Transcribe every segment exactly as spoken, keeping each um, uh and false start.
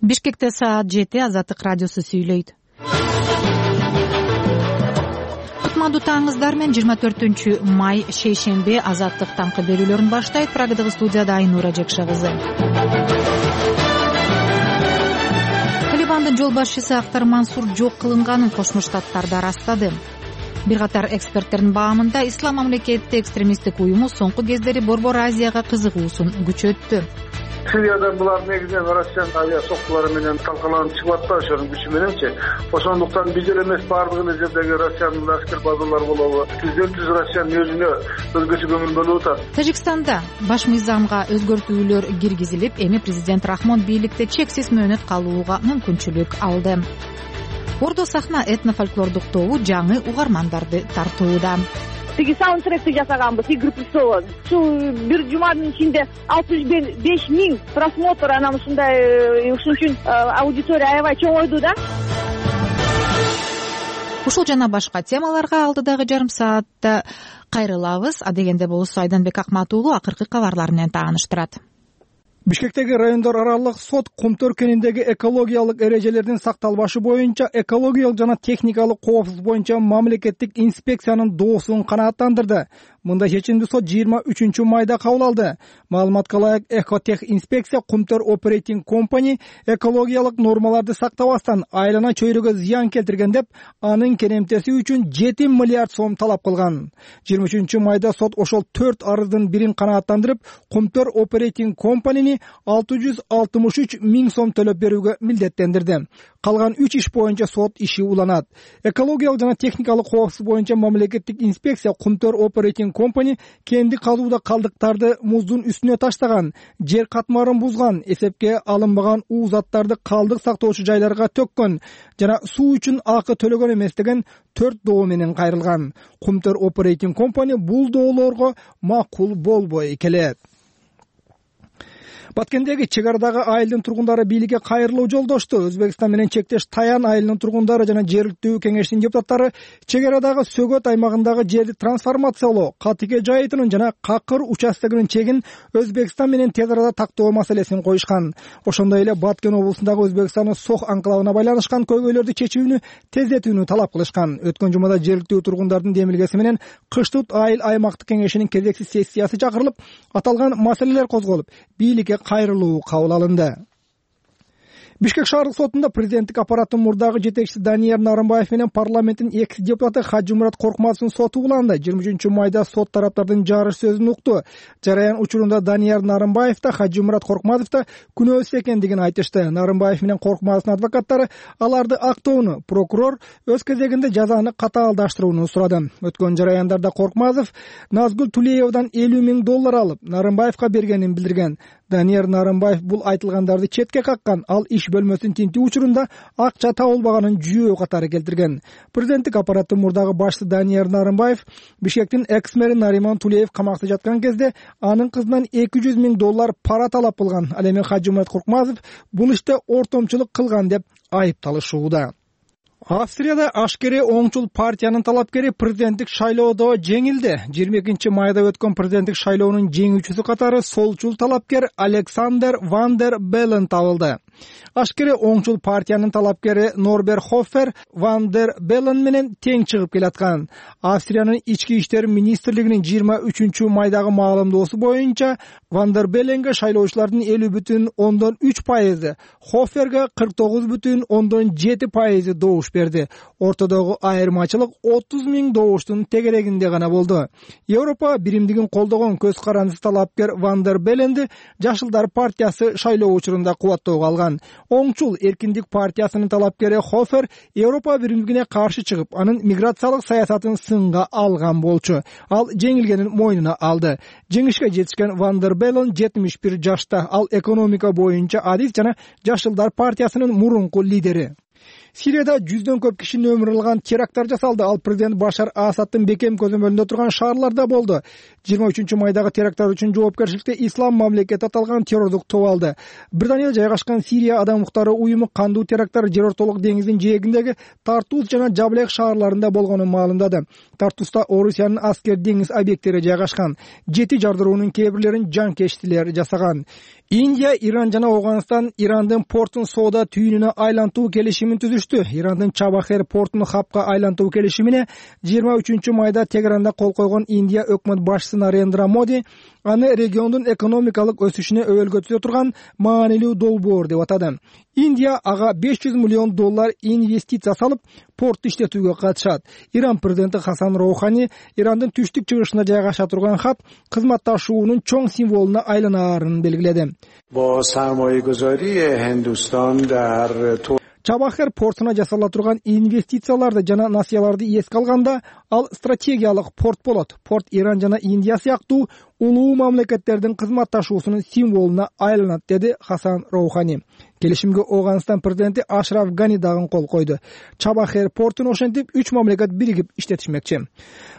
Бишкекте саат жети. Азаттык радиосу сүйлөйт. Кутмандуу таңыңыздар менен жыйырма төртүнчү май шейшемби Азаттык таңкы берүүлөрүн баштайт. Прагадагы студияда Айнура Жекше кызы. Талибандын жол башчысы Актар Мансур жок кылынганын Кошмо Штаттарда ырастады. Бир катар эксперттердин баамында Ислам мамлекети экстремисттик уюму соңку кездери Борбор Азияга кызыгуусун күчөттү. Сирияда булар негизинен Россиянын авиа соктулары менен талкаланып чыгып атпайбы, ошонун күчү мененчи. Ошондуктан бир эле эмес, баардык эле жердеги Россиянын аскер базалары болобу, түздөн түз Россиянын өзүнө өзгөчө көңүл бөлүп атат. Тажикстанда баш мыйзамга өзгөртүүлөр киргизилип, эми президент Рахмон бийликте чексиз мөөнөт калууга мүмкүнчүлүк алды. Ордо сахна этно-фольклордук тобу жаңы угармандарды тартууда. Тиги саундтректи жасаганбыз, игры престолов. Ушул бир жуманын ичинде алтымыш беш миң просмотр, анан ушундай, ушун үчүн аудитория аябай чоңойду да. Ушул жана башка темаларга алдыдагы жарым саатта кайрылабыз. Адегенде болсо Айданбек Акматуулу акыркы кабарлар менен тааныштырат. Бишкектеги райондор аралык сот Кумтөр кениндеги экологиялык эрежелердин сакталбашы боюнча экологиялык жана техникалык коопсуздук боюнча мамлекеттик инспекциянын доосун канааттандырды. Мындай чечимди сот жыйырма үчүнчү майда кабыл алды. Маалыматка ылайык, Экотех инспекция Кумтөр Operating Company экологиялык нормаларды сактабастан айлана чөйрөгө зыян келтирген деп, анын керемтеси үчүн жети миллиард сом талап кылган. жыйырма үчүнчү майда сот ошол төрт арыздын бирин канааттандырып, Кумтөр Operating Company'ни алты жүз алтымыш үч миң сом төлөп берүүгө милдеттендирди. Калган үч иш боюнча сот иши уланат. Экологиялык жана техникалык коопсуздук боюнча мамлекеттик инспекция Кумтөр Operating Company кенди казууда калдыктарды муздун үстүнө таштаган, жер катмарын бузган, эсепке алынбаган уу заттарды калдык сактоочу жайларга төккөн жана суу үчүн акы төлөгөн эмес деген төрт доо менен кайрылган. Кумтөр Operating Company бул доолорго макул болбой келет. Баткендеги чек арадагы айылдын тургундары бийликке кайрылуу жолдошту. Өзбекстан менен чектеш Таян айылынын тургундары жана жергиликтүү кеңештин депутаттары чек арадагы Сөгөт аймагындагы жерди трансформациялоо, Катыке жайытынын жана Какыр участогунун чегин Өзбекстан менен тез арада тактоо маселесин коюшкан. Ошондой эле Баткен облусундагы Өзбекстандын Сох анклавына байланышкан көйгөйлөрдү чечүүнү тездетүүнү талап кылышкан. Өткөн жумада жергиликтүү тургундардын демилгеси менен Кыштут айыл аймактык кеңешинин кезектеси сессиясы чакырылып, аталган маселелер козголуп, бийликке кайрылуу кабыл алынды. Бишкек шаардык сотунда президенттик аппараттын мурдагы жетекчиси Данияр Нарымбаев менен парламенттин экс депутаты Хажымурат Коркмазовдун соту уланды. жыйырма үчүнчү майда сот тараптардын жарыш сөзүн укту. Жараян учурунда Данияр Нарымбаев да Хажымурат Коркмазов да күнөөсүз экендигин айтышты. Нарымбаев менен Коркмазовдун адвокаттары аларды актоону, прокурор өз кезегинде жазаны катаалдаштырууну сурады. Өткөн жараяндарда Коркмазов Назгүл Тулеевадан элүү миң доллар алып, Нарымбаевка бергенин билдирген. Данияр Нарымбаев бул айтылгандарды четке каккан, ал иш бөлмөсүн тинтүү учурунда акча табылбаганын жүйөө катары келтирген. Президенттик аппараттын мурдагы башчысы Данияр Нарымбаев Бишкектин экс-мэри Нариман Тулеев камакта жаткан кезде анын кызынан эки жүз миң доллар пара талап кылган. Ал эми Хажымурат Коркмазов бул иште ортомчулук кылган деп айыпталышууда. Австрияда ашкере оңчул партиянын талапкери президенттик шайлоодо жеңилди. жыйырма экинчи майда өткөн президенттик шайлоонун жеңүүчүсү катары солчул талапкер Александер ван дер Беллен табылды. Ашкере оңчул партиянын талапкери Норбер Хоффер ван дер Беллен менен тең чыгып келаткан. Австриянын ички иштер министрлигинин жыйырма үчүнчү майдагы маалымдоосу боюнча ван дер Белленге шайлоочулардын элүү бүтүн ондон үч пайызы, Хофферге кырк тогуз бүтүн ондон жети пайызы добуш берди. Ортодогу айырмачылык отуз миң добуштун тегерегинде гана болду. Европа биримдигин колдогон көз карандысыз талапкер ван дер Белленди Жашылдар партиясы шайлоо учурунда кубаттоого алган. Оңчул эркиндик партиясынын талапкери Хоффер Европа биримдигине каршы чыгып, анын миграциялык саясатын сынга алган болчу. Ал жеңилгенин мойнуна алды. Жеңишке жетишкен ван дер Беллен жетимиш бир жашта. Ал экономика боюнча адис жана Жашылдар партиясынын мурунку лидери. Сирияда жүздөн көп кишинин өмүрүн алган теракттар жасалды. Ал президент Башар Асадтын бекем көзөмөлүндө турган шаарларда болду. жыйырма үчүнчү майдагы теракттар үчүн жоопкерчиликти Ислам мамлекети аталган террордук топ алды. Британияда жайгашкан Сирия адам укуктары уюму кандуу теракттар Жер ортолук деңиздин жээгиндеги Тартус жана Жаблек шаарларында болгонун маалымдады. Тартуста Орусиянын аскер деңиз объекттери жайгашкан. Жети жардыруунун кээ бирлерин жанкечтилер жасаган. Индия, Иран жана Ооганстан Ирандын портун соода түйүнүнө айлантуу келишимин түзүштү. Ирандын Чабахер портун хабка айлантуу келишимине жыйырма үчүнчү майда Тегеранда кол койгон Индия өкмөт башчысы Нарендра Моди аны региондун экономикалык өсүшүнө өбөлгө түзө турган маанилүү долбоор деп атады. Индия ага беш жүз миллион доллар инвестиция салып, портты иштетүүгө катышат. Иран президенти Хасан Роухани Ирандын түштүк чыгышында жайгаша турган хаб кызматташуунун чоң символуна айланаарын белгиледи. Чабахер портуна жасала турган инвестицияларды жана насыяларды эске алганда, ал стратегиялык порт болот. Порт Иран жана Индия сыяктуу улуу мамлекеттердин кызматташуусунун символуна айланат, деди Хасан Роухани. Келишимге Ооганстан президенти Ашраф Гани дагы кол койду. Чабахер портун ошентип үч мамлекет биригип иштетишмекчи.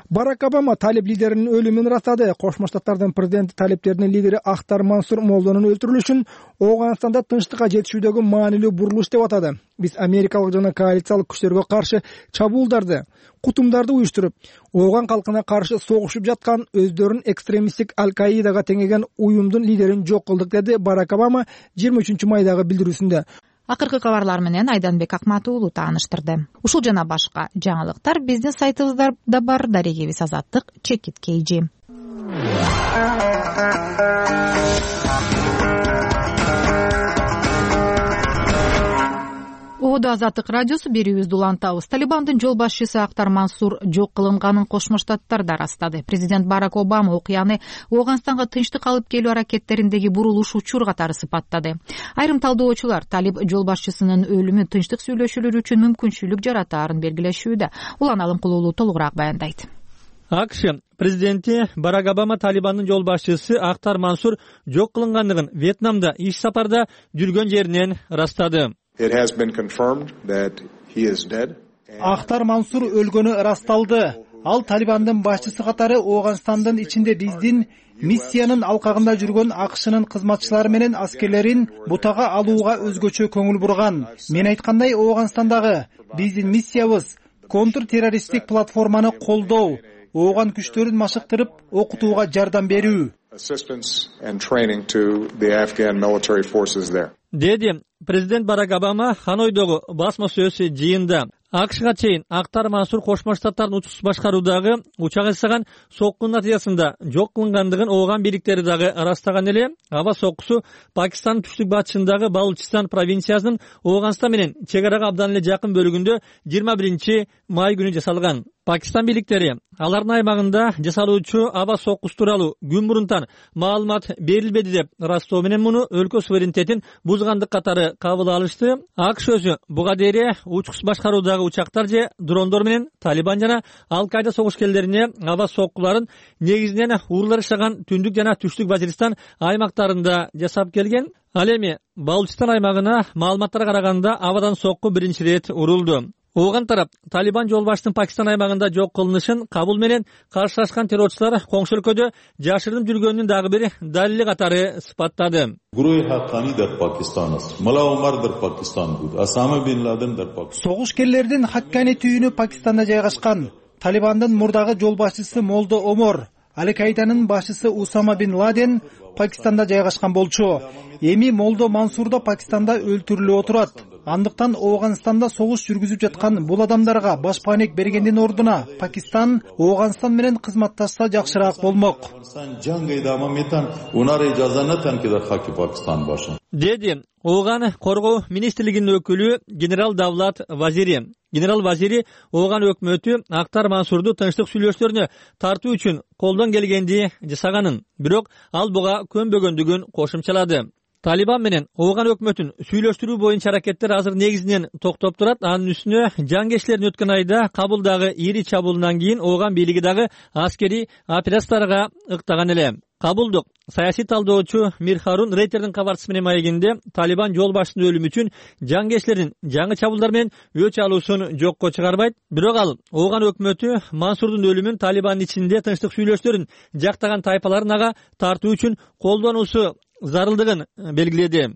Барак Обама талиб лидеринин өлүмүн ырастады. Кошмо Штаттардын президенти талибтердин лидери Ахтар Мансур Молдонун өлтүрүлүшүн Ооганстанда тынчтыкка жетишүүдөгү маанилүү бурулуш деп атады. Биз америкалык жана коалициялык күчтөргө каршы чабуулдарды, кутумдарды уюштуруп, Ооган калкына каршы согушуп жаткан өздөрүн экстремисттик Аль-Каидага теңеген уюмдун лидерин жок кылдык, деди Барак Обама жыйырма үчүнчү майдагы билдирүүсүндө. Акыркы кабарлар менен Айданбек Акмат уулу тааныштырды. Ушул жана башка жаңылыктар биздин сайтыбызда бар. Дарегебиз Азаттык чекит кейжи. Оодо Азаттык радиосу берүүбүздү улантабыз. Талибандын жол башчысы Ахтар Мансур жок кылынганын Кошмо Штаттарда ырастады. Президент Барак Обама окуяны Ооганстанга тынчтык алып келүү аракеттериндеги бурулуш учур катары сыпаттады. Айрым талдоочулар талиб жол башчысынын өлүмү тынчтык сүйлөшүүлөр үчүн мүмкүнчүлүк жаратаарын белгилешүүдө. Улан Алымкулуулу толугураак баяндайт. АКШ президенти Барак Обама Талибандын жол башчысы Ахтар Мансур жок кылынгандыгын Вьетнамда иш сапарда жүргөн жеринен ырастады. Ахтар Мансур өлгөнү ырасталды. Ал Талибандын башчысы катары Ооганстандын ичинде биздин миссиянын алкагында жүргөн АКШнын кызматчылары менен аскерлерин бутага алууга өзгөчө көңүл бурган. Мен айткандай, Ооганстандагы биздин миссиябыз контртеррористтик платформаны колдоо, Ооган күчтөрүн машыктырып, окутууга жардам берүү. Деди президент Барак Обама Ханойдогу басма сөз жыйында. АКШга чейин Ахтар Мансур Кошмо Штаттардын учуш башкаруудагы учак жасаган соккунун натыйжасында жок кылынгандыгын Ооган бийликтери дагы ырастаган эле. Аба соккусу Пакистандын түштүк батышындагы Балучистан провинциясынын Ооганстан менен чек арага абдан эле жакын бөлүгүндө жыйырма биринчи май күнү жасалган. Пакистан бийликтери алардын аймагында жасалуучу аба соккусу тууралуу күн мурунтан маалымат берилбеди деп ырастоо менен муну өлкө суверенитетин бузгандык катары кабыл алышты. АКШ өзү буга дейин учкус башкаруудагы учактар же дрондор менен Талибан жана Ал-Кайда согушкерлерине аба соккуларын негизинен урлар жашаган түндүк жана түштүк Вазиристан аймактарында жасап келген. Ал эми Балучистан аймагына маалыматтарга караганда абадан сокку биринчи ирет урулду. Ооган тарап Талибан жол башчысынын Пакистан аймагында жок кылынышын кабыл менен каршылашкан террорчулар коңшу өлкөдө жашырынып жүргөнүн дагы бир далили катары сыпаттады. Согушкерлердин Хаккани түйүнү Пакистанда жайгашкан. Талибандын мурдагы жол башчысы Молдо Омор, Аль-Кайданын башчысы Усама бин Ладен Пакистанда жайгашкан болчу. Эми Молдо Мансур да Пакистанда өлтүрүлүп отурат. Андыктан Ооганстанда согуш жүргүзүп жаткан бул адамдарга башпаанек бергендин ордуна Пакистан Ооганстан менен кызматташса жакшыраак болмок. Деди Ооган коргоо министрлигинин өкүлү генерал Давлат Вазири. Генерал Вазири Ооган өкмөтү Ахтар Мансурду тынчтык сүйлөшүүлөрүнө тартуу үчүн колдон келгенди жасаганын, бирок ал буга көнбөгөндүгүн кошумчалады. Талибан менен Ооган өкмөтүн сүйлөштүрүү боюнча аракеттер азыр негизинен токтоп турат. Анын үстүнө жангерчилердин өткөн айда Кабулдагы ири чабуулунан кийин Ооган бийлиги дагы аскерий операцияларга ыктаган эле. Кабулдук саясий талдоочу Мир Харун Рейтердин кабарчысы менен маегинде Талибан жол башчысынын өлүмү үчүн жангерчилердин жаңы чабуулдар менен өч алуусун жокко чыгарбайт. Бирок ал Ооган өкмөтү Мансурдун өлүмүн Талибандын ичинде тынчтык сүйлөшүүлөрүн жактаган тайпаларын ага тартуу үчүн колдонуусу зарылдыгын белгиледи.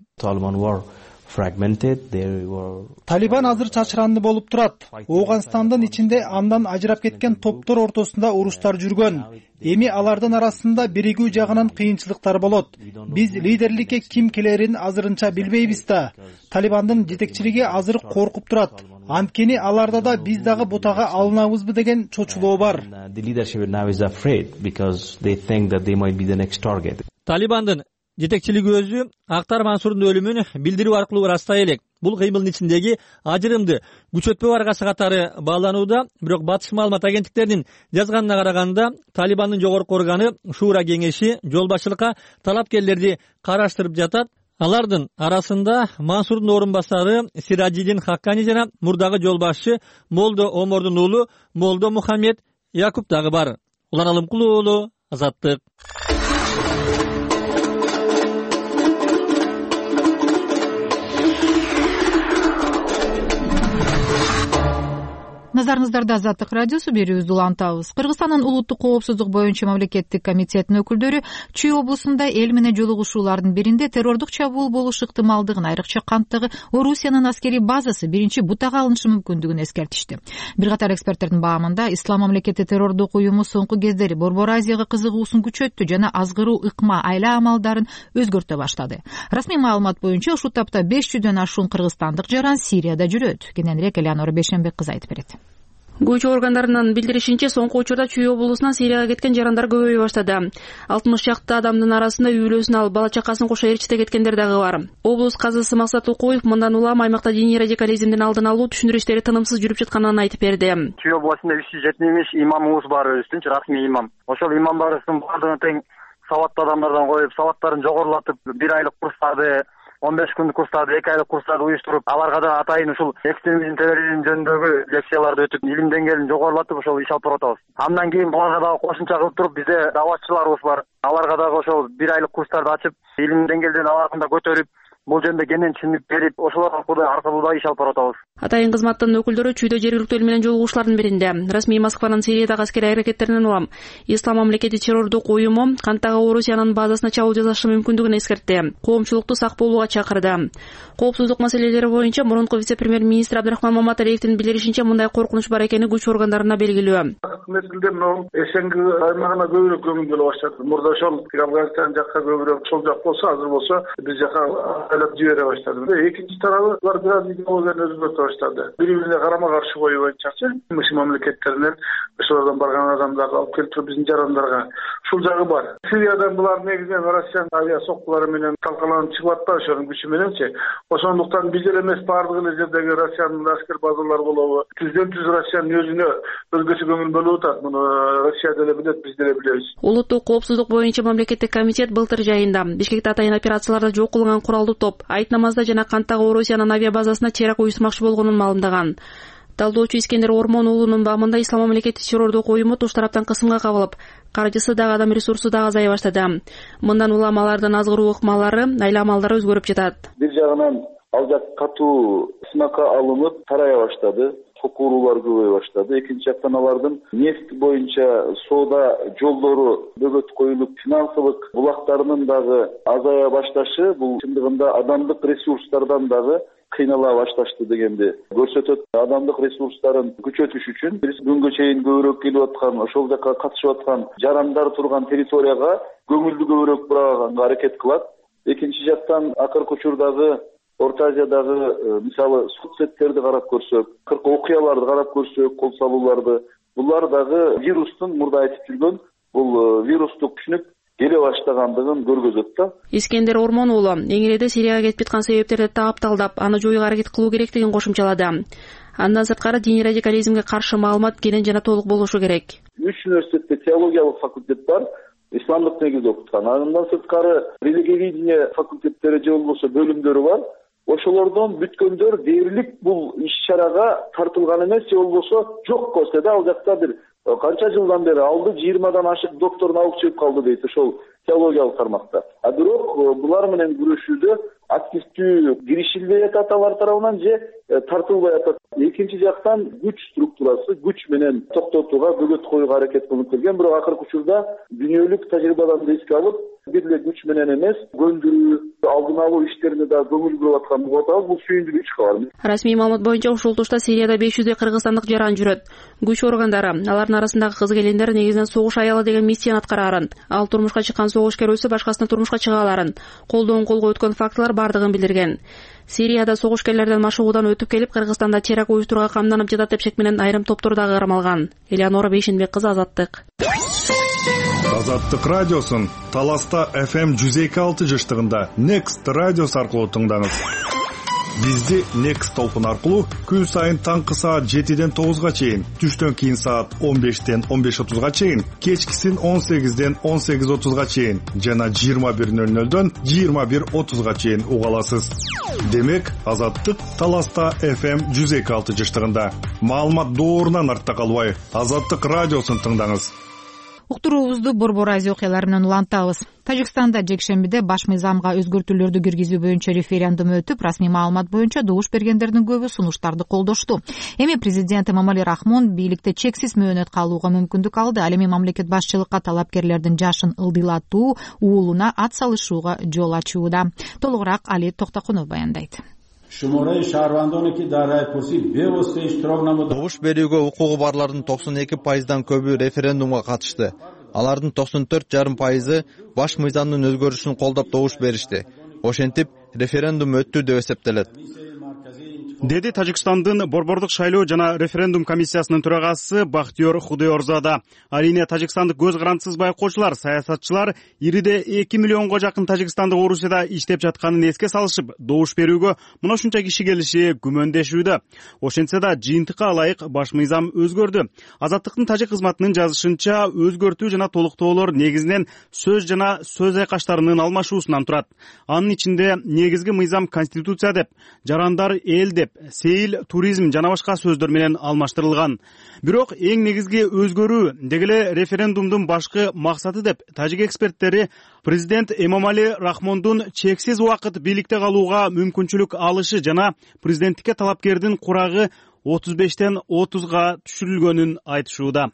Талибан азыр чачыранды болуп турат. Ооганстандын ичинде андан ажырап кеткен топтор ортосунда уруштар жүргөн. Эми алардын арасында биригүү жагынан кыйынчылыктар болот. Биз лидерликке ким келерин азырынча билбейбиз да. Талибандын жетекчилиги азыр коркуп турат. Анткени аларда да биз дагы бутага алынабызбы деген чочулоо бар. Талибандын жетекчилиги өзү Актар Мансурдун өлүмүн билдирүү аркылуу ырастай элек. Бул кыймылдын ичиндеги ажырымды күчөтпөө аргасы катары бааланууда, бирок батыш маалымат агенттиктеринин жазганына караганда Талибандын жогорку органы Шуура кеңеши жол башчылыкка талапкерлерди караштырып жатат. Алардын арасында Мансурдун орун басары Сираджидин Хаккани жана мурдагы жол башчы Молдо Омордун уулу Молдо Мухаммед Якуп дагы бар. Улан Алымкулуу уулу, Азаттык. Назарыңыздарда Азаттык радиосу, берүүбүздү улантабыз. Кыргызстандын улуттук коопсуздук боюнча мамлекеттик комитетинин өкүлдөрү Чүй облусунда эл менен жолугушуулардын биринде террордук чабуул болуш ыктымалдыгын, айрыкча канттагы Орусиянын аскерий базасы биринчи бутага алынышы мүмкүндүгүн эскертишти. Бир катар эксперттердин баамында, Ислам мамлекети террордук уюму соңку кездери Борбор Азияга кызыгуусун күчөттү жана азгыруу, ыкма, айла амалдарын өзгөртө баштады. Расмий маалымат боюнча ушул тапта беш жүздөн ашуун кыргызстандык жаран Сирияда жүрөт. Кененирээк Элеонора Бейшенбек кызы айтып берет. Көчү органдарынын билдиришинче, соңку учурда Чүй облусунан Сирияга кеткен жарандар көбөйө баштады. алтымыш чакты адамдын арасында үй бүлөсүн алып, бала чакасын кошо ээрчите кеткендер дагы бар. Облус казысы Максат Укуев мындан улам аймакта диний радикализмдин алдын алуу түшүндүрүү иштери тынымсыз жүрүп жатканын айтып берди. Чүй областында үч жүз жетимиш имамыбыз бар, өзүбүздүн расмий имам. Ошол имамдарыбыздын баардыгын тең сабаттуу адамдардан коюп, сабаттарын жогорулатып, бир айлык курстарды, он беш күндүк курстарды, эки айлык курстарды уюштуруп, аларга да атайын ушул экстремизм, терроризм жөнүндөгү лекцияларды өтүп, илим деңгээлин жогорулатып, ошол иш алып баратабыз. Андан кийин буларга дагы кошумча кылып туруп, бизде даватчыларыбыз бар. Аларга дагы ошол бир айлык курстарды ачып, илим деңгээлин аларга көтөрүп, бул жөнүндө кенен түшүнүк берип, ошолор аркылуу да иш алып баратабыз. Атайын кызматтын өкүлдөрү Чүйдө жергиликтүү эл менен жолугушуулардын биринде расмий Москванын Сириядагы аскерий аракеттеринен улам Ислам мамлекети террордук уюму канттагы Орусиянын базасына чабуул жасашы мүмкүндүгүн эскертти. Коомчулукту сак болууга чакырды. Коопсуздук маселелери боюнча мурунку вице-премьер-министр Абдрахман Маматалиевдин билдиришинче, мындай коркунуч бар экени күч органдарына белгилүү. Мезгилде могу эсенги аймагына көбүрөөк көңүл бөлө баштады. Мурда ошол Афганистан жакка көбүрөөк, сол жак болсо, азыр болсо биз жака айлап жибере баштады. Экинчи тарабы булар бир аз идеологияны өзгөртө баштады. Бири-бирине карама каршы коюбайчачы мыш мамлекеттеринен ошолордон барган адамдарды алып келип туруп биздин жарандарга ушул жагы бар. Сириядан булар негизинен Россиянын авиа соккулары менен талкаланып чыгып атпайбы, ошонун күчү мененчи. Ошондуктан биз эле эмес, баардык эле жердеги Россиянын аскер базалары болобу, түздөн түз Россиянын өзүнө өзгөчө көңүл бөлүп атат. Муну Россия деле билет, биз деле билебиз. Улуттук коопсуздук боюнча мамлекеттик комитет былтыр жайында Бишкекте атайын операцияларда жок кылынган куралдуу топ Айт намазда жана канттагы Орусиянын авиа базасына теракт уюштурмакчы болгонун маалымдаган. Талдоочу Искендер Ормон уулунун баамында Ислам мамлекети террордук уюму туш тараптан кысымга кабылып, каржысы дагы, адам ресурсу дагы азая баштады. Мындан улам алардын азгыруу ыкмалары, айла амалдары өзгөрүп жатат. Бир жагынан ал жак катуу сынакка алынып тарая баштады. Сокку уруулар көбөйө баштады. Экинчи жактан алардын нефть боюнча соода жолдору бөгөт коюлуп, финансылык булактарынын дагы азая башташы бул чындыгында адамдык ресурстардан дагы кыйнала башташты дегенди көрсөтөт. Адамдык ресурстарын күчөтүш үчүн биз күнгө чейин көбүрөөк келип аткан, ошол жака катышып аткан жарандар турган территорияга көңүлдү көбүрөөк бураганга аракет кылат. Экинчи жактан акыркы учурдагы Орто Азиядагы мисалы соцсеттерди карап көрсөк, кырк окуяларды карап көрсөк, кол салууларды, булар дагы вирустун мурда айтып жүргөн бул вирустук түшүнүк келе баштагандыгын көргөзөт да. Искендер Ормон уулу эң эледе Сирияга кетип жаткан себептерди тапталдап, аны жоюуга аракет кылуу керектигин кошумчалады. Андан сырткары диний радикализмге каршы маалымат кенен жана толук болушу керек. Үч университетте теологиялык факультет бар, исламдык негизде окуткан. Андан сырткары религиоведение факультеттери же болбосо бөлүмдөрү бар. Ошолордон бүткөндөр дээрлик бул иш-чарага тартылган эмес, же болбосо жок болсо да, ал жакта бир канча жылдан бери алды жыйырмадан ашык доктор наук чыгып калды дейт ошол теологиялык тармакта. А бирок булар менен күрөшүүдө активдүү киришилбей атат алар тарабынан же тартылбай атат. Экинчи жактан күч структурасы күч менен токтотууга, бөгөт коюуга аракет кылынып келген. Бирок акыркы учурда дүйнөлүк тажрыйбаларды эске алып, бир эле күч менен эмес, көндүрүү, алдын алуу иштерине да көңүл буруп атканын угуп атабыз. Бул сүйүндүрүүчү кабар. Расмий маалымат боюнча ушул тушта Сирияда беш жүздөй кыргызстандык жаран жүрөт. Күч органдары алардын арасындагы кыз-келиндер негизинен согуш аялы деген миссияны аткарарын, ал турмушка чыккан согушкер өлсө башкасына турмушка чыга аларын, колдон колго өткөн фактылар бардыгын билдирген. Сирияда согушкерлерден машыгуудан өтүп келип, Кыргызстанда терак уюштурууга камданып жатат деп шек менен айрым топтор дагы кармалган. Элеонора Бейшенбек кызы, Азаттык. Азаттык радиосун Таласта эф эм жүз эки алты жыштыгында Next радиосу аркылуу тыңдаңыз. Бизди Next толкун аркылуу күн сайын таңкы саат жетиден тогузга чейин, түштөн кийин саат он бештен он беш отузга чейин, кечкисин он сегизден он сегиз отузга чейин жана жыйырма бир нөл нөлдөн жыйырма бир отузга чейин уга аласыз. Демек, Азаттык Таласта эф эм жүз эки алты жыштыгында. Маалымат доорунан артта калбай, Азаттык радиосун тыңдаңыз. Уктуруубузду Борбор Азия окуялары менен улантабыз. Тажикстанда жекшембиде баш мыйзамга өзгөртүүлөрдү киргизүү боюнча референдум өтүп, расмий маалымат боюнча добуш бергендердин көбү сунуштарды колдошту. Эми президент Эмомали Рахмон бийликте чексиз мөөнөт калууга мүмкүндүк алды. Ал эми мамлекет башчылыкка талапкерлердин жашын ылдыйлатуу, уулуна ат салышууга жол ачууда. Толугураак Али Токтокунов баяндайт. Добуш берүүгө укугу барлардын токсон эки пайыздан көбү референдумга катышты. Алардын токсон төрт жарым пайызы баш мыйзамдын өзгөрүшүн колдоп добуш беришти. Ошентип, референдум өттү деп эсептелет, деди Тажикстандын борбордук шайлоо жана референдум комиссиясынын төрагасы Бахтиёр Худойорзада. Алине Тажикстандык көз карандысыз байкоочулар, саясатчылар ириде эки миллионго жакын тажикстандык Орусияда иштеп жатканын эске салышып, добуш берүүгө мына ушунча киши келиши күмөндешүүдө. Ошентсе да жыйынтыкка ылайык баш мыйзам өзгөрдү. Азаттыктын тажик кызматынын жазышынча, өзгөртүү жана толуктоолор негизинен сөз жана сөз айкаштарынын алмашуусунан турат. Анын ичинде негизги мыйзам конституция деп, жарандар эл деп, сейил, туризм жана башка сөздөр менен алмаштырылган. Бирок эң негизги өзгөрүү дегеле референдумдун башкы максаты деп тажик эксперттери президент Эмомали Рахмондун чексиз убакыт бийликте калууга мүмкүнчүлүк алышы жана президенттикке талапкердин курагы отуз бештен отузга түшүрүлгөнүн айтышууда.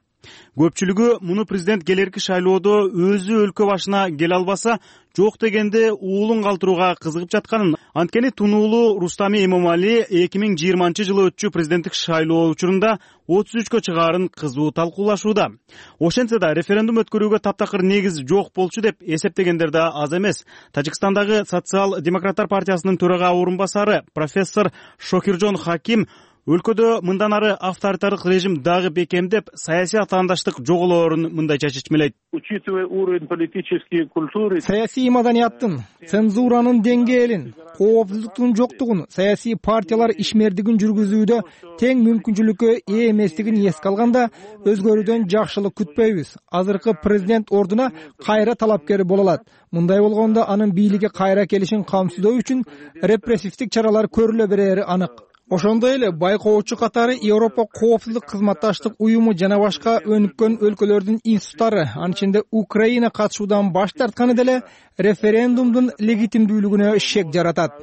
Көпчүлүгү муну президент келерки шайлоодо өзү өлкө башына келе албаса, жок дегенде уулун калтырууга кызыгып жатканын, анткени тунуулуу Рустами Эмомали эки миң жыйырманчы жылы өтчү президенттик шайлоо учурунда отуз үчкө чыгаарын кызуу талкуулашууда. Ошентсе да референдум өткөрүүгө таптакыр негиз жок болчу деп эсептегендер да аз эмес. Тажикстандагы Социал-демократтар партиясынын төрага орун басары профессор Шокиржон Хаким өлкөдө мындан ары авторитардык режим дагы бекемдеп, саясий атаандаштык жоголоорун мындайча чечмелейт. Учитывая уровень политической культуры, саясий маданияттын, цензуранын деңгээлин, коопсуздуктун жоктугун, саясий партиялар ишмердигин жүргүзүүдө тең мүмкүнчүлүккө ээ эместигин эске алганда, өзгөрүүдөн жакшылык күтпөйбүз. Азыркы президент ордуна кайра талапкери боло алат. Мындай болгондо анын бийликке кайра келишин камсыздоо үчүн репрессивдик чаралар көрүлө берери анык. Ошондой эле байкоочу катары Европа коопсуздук кызматташтык уюму жана башка өнүккөн өлкөлөрдүн институттары, анын ичинде Украина катышуудан баш тартканы деле референдумдун легитимдүүлүгүнө шек жаратат.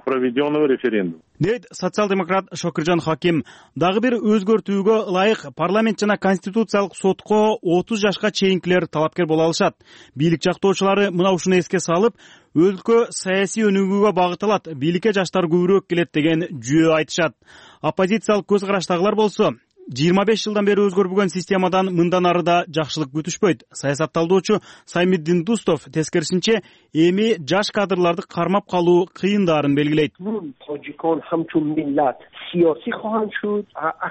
проведенного референдума. Дейт социал-демократ Шокиржан Хаким. Дагы бир өзгөртүүгө ылайык парламент жана конституциялык сотко отуз жашка чейинкилер талапкер боло алышат. Бийлик жактоочулары мына ушуну эске салып, өлкө саясий өнүгүүгө багытталат, бийликке жаштар көбүрөөк келет деген жүйө айтышат. Оппозициялык көз караштагылар болсо, жыйырма беш жылдан бери өзгөрбөгөн системадан мындан ары да жакшылык күтүшпөйт. Саясатталдоочу Саймиддин Дустов тескерисинче эми жаш кадрларды кармап калуу кыйындаарын белгилейт.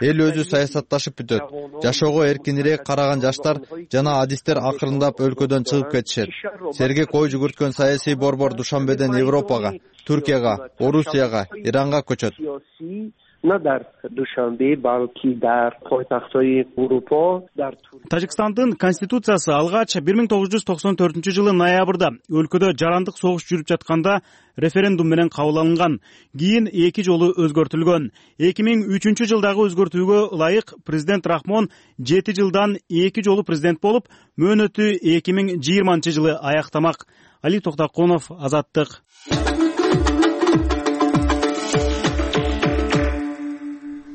Эл өзү саясатташып бүтөт. Жашоого эркинирээк караган жаштар жана адистер акырындап өлкөдөн чыгып кетишет. Сергек ой жүгүрткөн саясий борбор Душанбеден Европага, Түркияга, Орусияга, Иранга көчөт. Тажикстандын конституциясы алгач бир миң тогуз жүз токсон төртүнчү жылы ноябрда өлкөдө жарандык согуш жүрүп жатканда референдум менен кабыл алынган. Кийин эки жолу өзгөртүлгөн. эки миң үчүнчү жылдагы өзгөртүүгө ылайык президент Рахмон жети жылдан эки жолу президент болуп, мөөнөтү эки миң жыйырманчы жылы аяктамак. Али Токтокунов, Азаттык.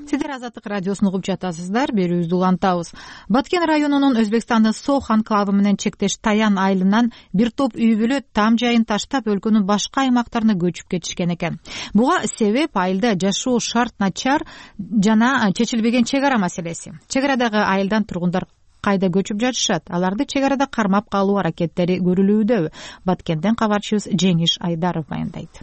Сиздер Азаттык радиосун угуп жатасыздар. Берүүбүздү улантабыз. Баткен районунун Өзбекстандын Сох анклавы менен чектеш Таян айылынан бир топ үй бүлө там жайын таштап өлкөнүн башка аймактарына көчүп кетишкен экен. Буга себеп айылда жашоо шарт начар жана чечилбеген чек ара маселеси. Чек арадагы айылдан тургундар кайда көчүп жатышат? Аларды чек арада кармап калуу аракеттери көрүлүүдө. Баткенден кабарчыбыз Жеңиш Айдаров баяндайт.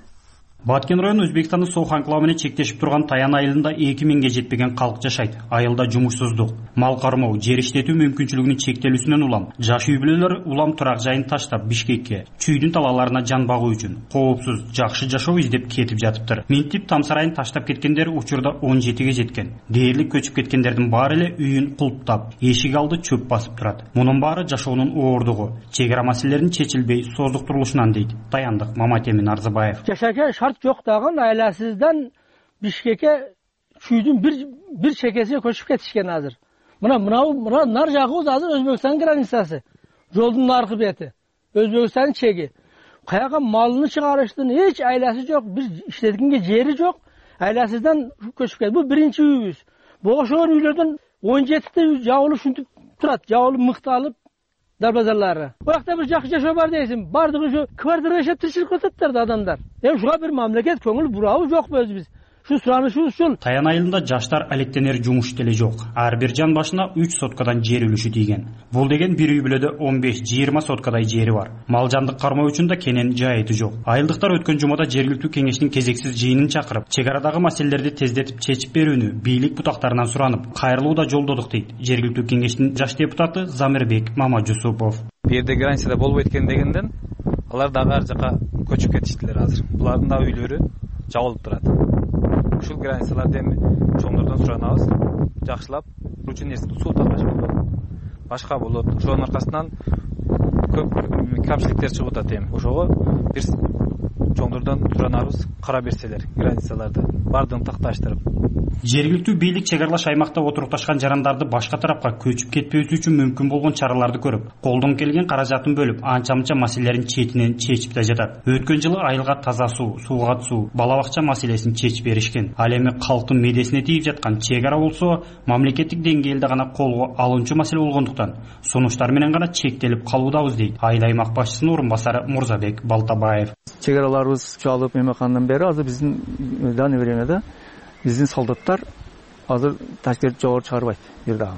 Баткен району Өзбекстандын Сох анклавы менен чектешип турган Таян айылында эки миңге жетпеген калк жашайт. Айылда жумушсуздук, мал кармоо, жер иштетүү мүмкүнчүлүгүнүн чектелүүсүнөн улам жаш үй бүлөлөр улам турак жайын таштап Бишкекке, чүйдүн талааларына жан багуу үчүн коопсуз, жакшы жашоо издеп кетип жатыптыр. Минтип там сарайын таштап кеткендер учурда он жетиге жеткен. Дээрлик көчүп кеткендердин баары эле үйүн кулптап, эшик алды чөп басып турат. Мунун баары жашоонун оордугу, чек ара маселелеринин чечилбей создуктурулушунан дейт Таяндык Маматемин Арзыбаев. Жашака шарт жок дагы айласыздан Бишкекке чүйдүн бир бир чекесине көчүп кетишкен азыр. Мына мынау мына нар жагыбыз азыр Өзбекстан границасы. Жолдун наркы бети. Өзбекстан чеги. Каяка малыны чыгарыштын эч айласы жок, бир иштеткенге жери жок. Айласыздан көчүп кетти. Бул биринчи үйүбүз. Богошоор үйлөрдөн он жетите жабылып ушинтип турат. Жабылып мыкталып дарбазалары. Биракта бир жакшы жашоо бар дейсиң. Бардыгы ушу квартира жашап тиричилик кылып адамдар. Эми ушуга бир мамлекет көңүл бурабы жокпу өзүбүз? Шу суранышыбыз ушул. Таян айылында жаштар алектенер жумуш деле жок. Ар бир жан башына үч соткадан жер үлүшү тийген. Бул деген бир үй бүлөдө он беш жыйырма соткадай жери бар. Мал жандык кармоо үчүн да кенен жайыты жок. Айылдыктар өткөн жумада жергиликтүү кеңештин кезексиз жыйынын чакырып, чек арадагы маселелерди тездетип чечип берүүнү бийлик бутактарынан суранып, кайрылуу да жолдодук дейт жергиликтүү кеңештин жаш депутаты Замирбек Мамажусупов. Бу жерде границада болбойт экен дегенден алар дагы ар жака көчүп кетиштилер азыр. Булардын да үйлөрү жабылып турат. Ушул границаларды эми чоңдордон суранабыз, жакшылап үчүн эски суу тапкачы болот. Башка болот. Ошонун аркасынан көп камчылыктар чыгып атат эми. Ошого бир чоңдордон суранабыз, кара берселер границаларды бардыгын такташтырып. Жергиликтүү бийлик чек аралаш аймакта отурукташкан жарандарды башка тарапка көчүп кетпөөсү үчүн мүмкүн болгон чараларды көрүп, колдон келген каражатын бөлүп, анча-мынча маселелерин четинен чечип да жатат. Өткөн жылы айылга таза суу, сууга суу, бала бакча маселесин чечип беришкен. Ал эми калктын медесине тийип жаткан чек ара болсо, мамлекеттик деңгээлде гана колго алынчу маселе болгондуктан сунуштар менен гана чектелип калуудабыз дейт айыл аймак башчысынын орун басары Мурзабек Балтабаев. Чек араларыбыз чалып эметкандан бери азыр биздин данный времяда биздин солдаттар азыр ташкент жогору чыгарбайт бир дагы.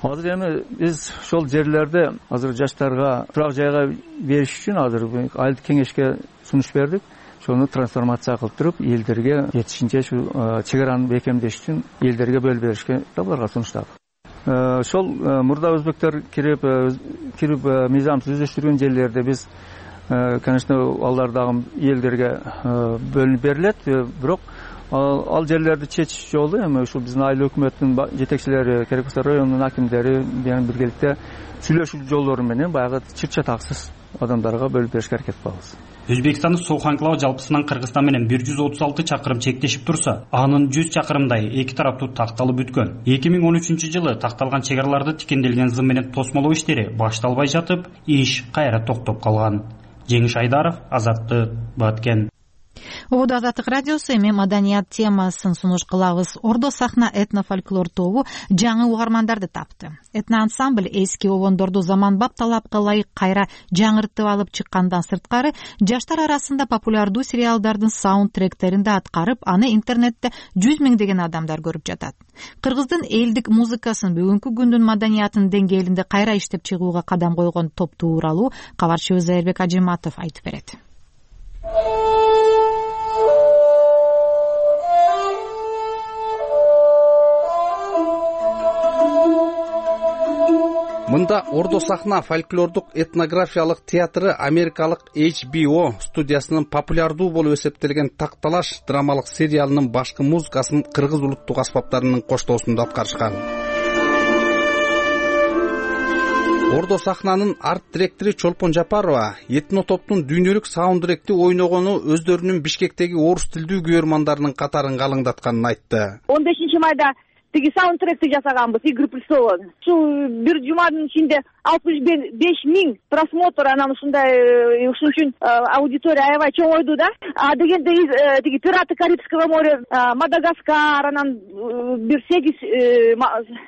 Азыр эми биз ошол жерлерди азыр жаштарга турак жайга бериш үчүн азыр айылдык кеңешке сунуш бердик. Ошону трансформация кылып туруп, элдерге жетишинче ушу чек араны бекемдеш үчүн элдерге бөлүп беришке буларга сунуштадык. Ошол мурда өзбектер кирип кирип мыйзамсыз өздөштүргөн жерлерде биз, конечно, алар дагы элдерге бөлүнүп берилет, бирок ал жерлерди чечиш жолу эми ушул биздин айыл өкмөттүн жетекчилери, керек болсо райондун акимдери менен биргеликте сүйлөшүү жолдору менен баягы чыр чатаксыз адамдарга бөлүп беришке аракет кылабыз. Өзбекстандын Сох анклавы жалпысынан Кыргызстан менен бир жүз отуз алты чакырым чектешип турса, анын жүз чакырымдай эки тараптуу такталып бүткөн. эки миң он үчүнчү жылы такталган чек араларды тикенделген зым менен тосмолоо иштери башталбай жатып, иш кайра токтоп калган. Жеңиш Айдаров, Азаттык, Баткен. Ободо Азаттык радиосу эми маданият темасын сунуш кылабыз. Ордо сахна этнофольклор тобу жаңы угармандарды тапты. Этноансамбль эски обондорду заманбап талапка ылайык кайра жаңыртып алып чыккандан сырткары, жаштар арасында популярдуу сериалдардын саундтректерин да аткарып, аны интернетте жүз миңдеген адамдар көрүп жатат. Кыргыздын элдик музыкасын бүгүнкү күндүн маданиятынын деңгээлинде кайра иштеп чыгууга кадам койгон топ тууралуу кабарчыбыз Зайырбек Ажиматов айтып берет. Мында Ордо сахна фольклордук этнографиялык театры америкалык эйч би о студиясынын популярдуу болуп эсептелген Такталаш драмалык сериалынын башкы музыкасын кыргыз улуттук аспаптарынын коштоосунда аткарышкан. Ордо сахнанын арт директору Чолпон Жапарова этно топтун дүйнөлүк саундтректи ойногону өздөрүнүн Бишкектеги орус тилдүү көрөрмандарынын катарын калыңдатканын айтты. он бешинчи майда тиги саундтректи жасаганбыз Игорь Плесова. Ушул бир жуманын ичинде алтымыш беш миң просмотр, анан ушундай ушун үчүн аудитория аябай чоңойду да. А дегенде тиги «Пираты Карибского моря», «Мадагаскар», анан бир сегиз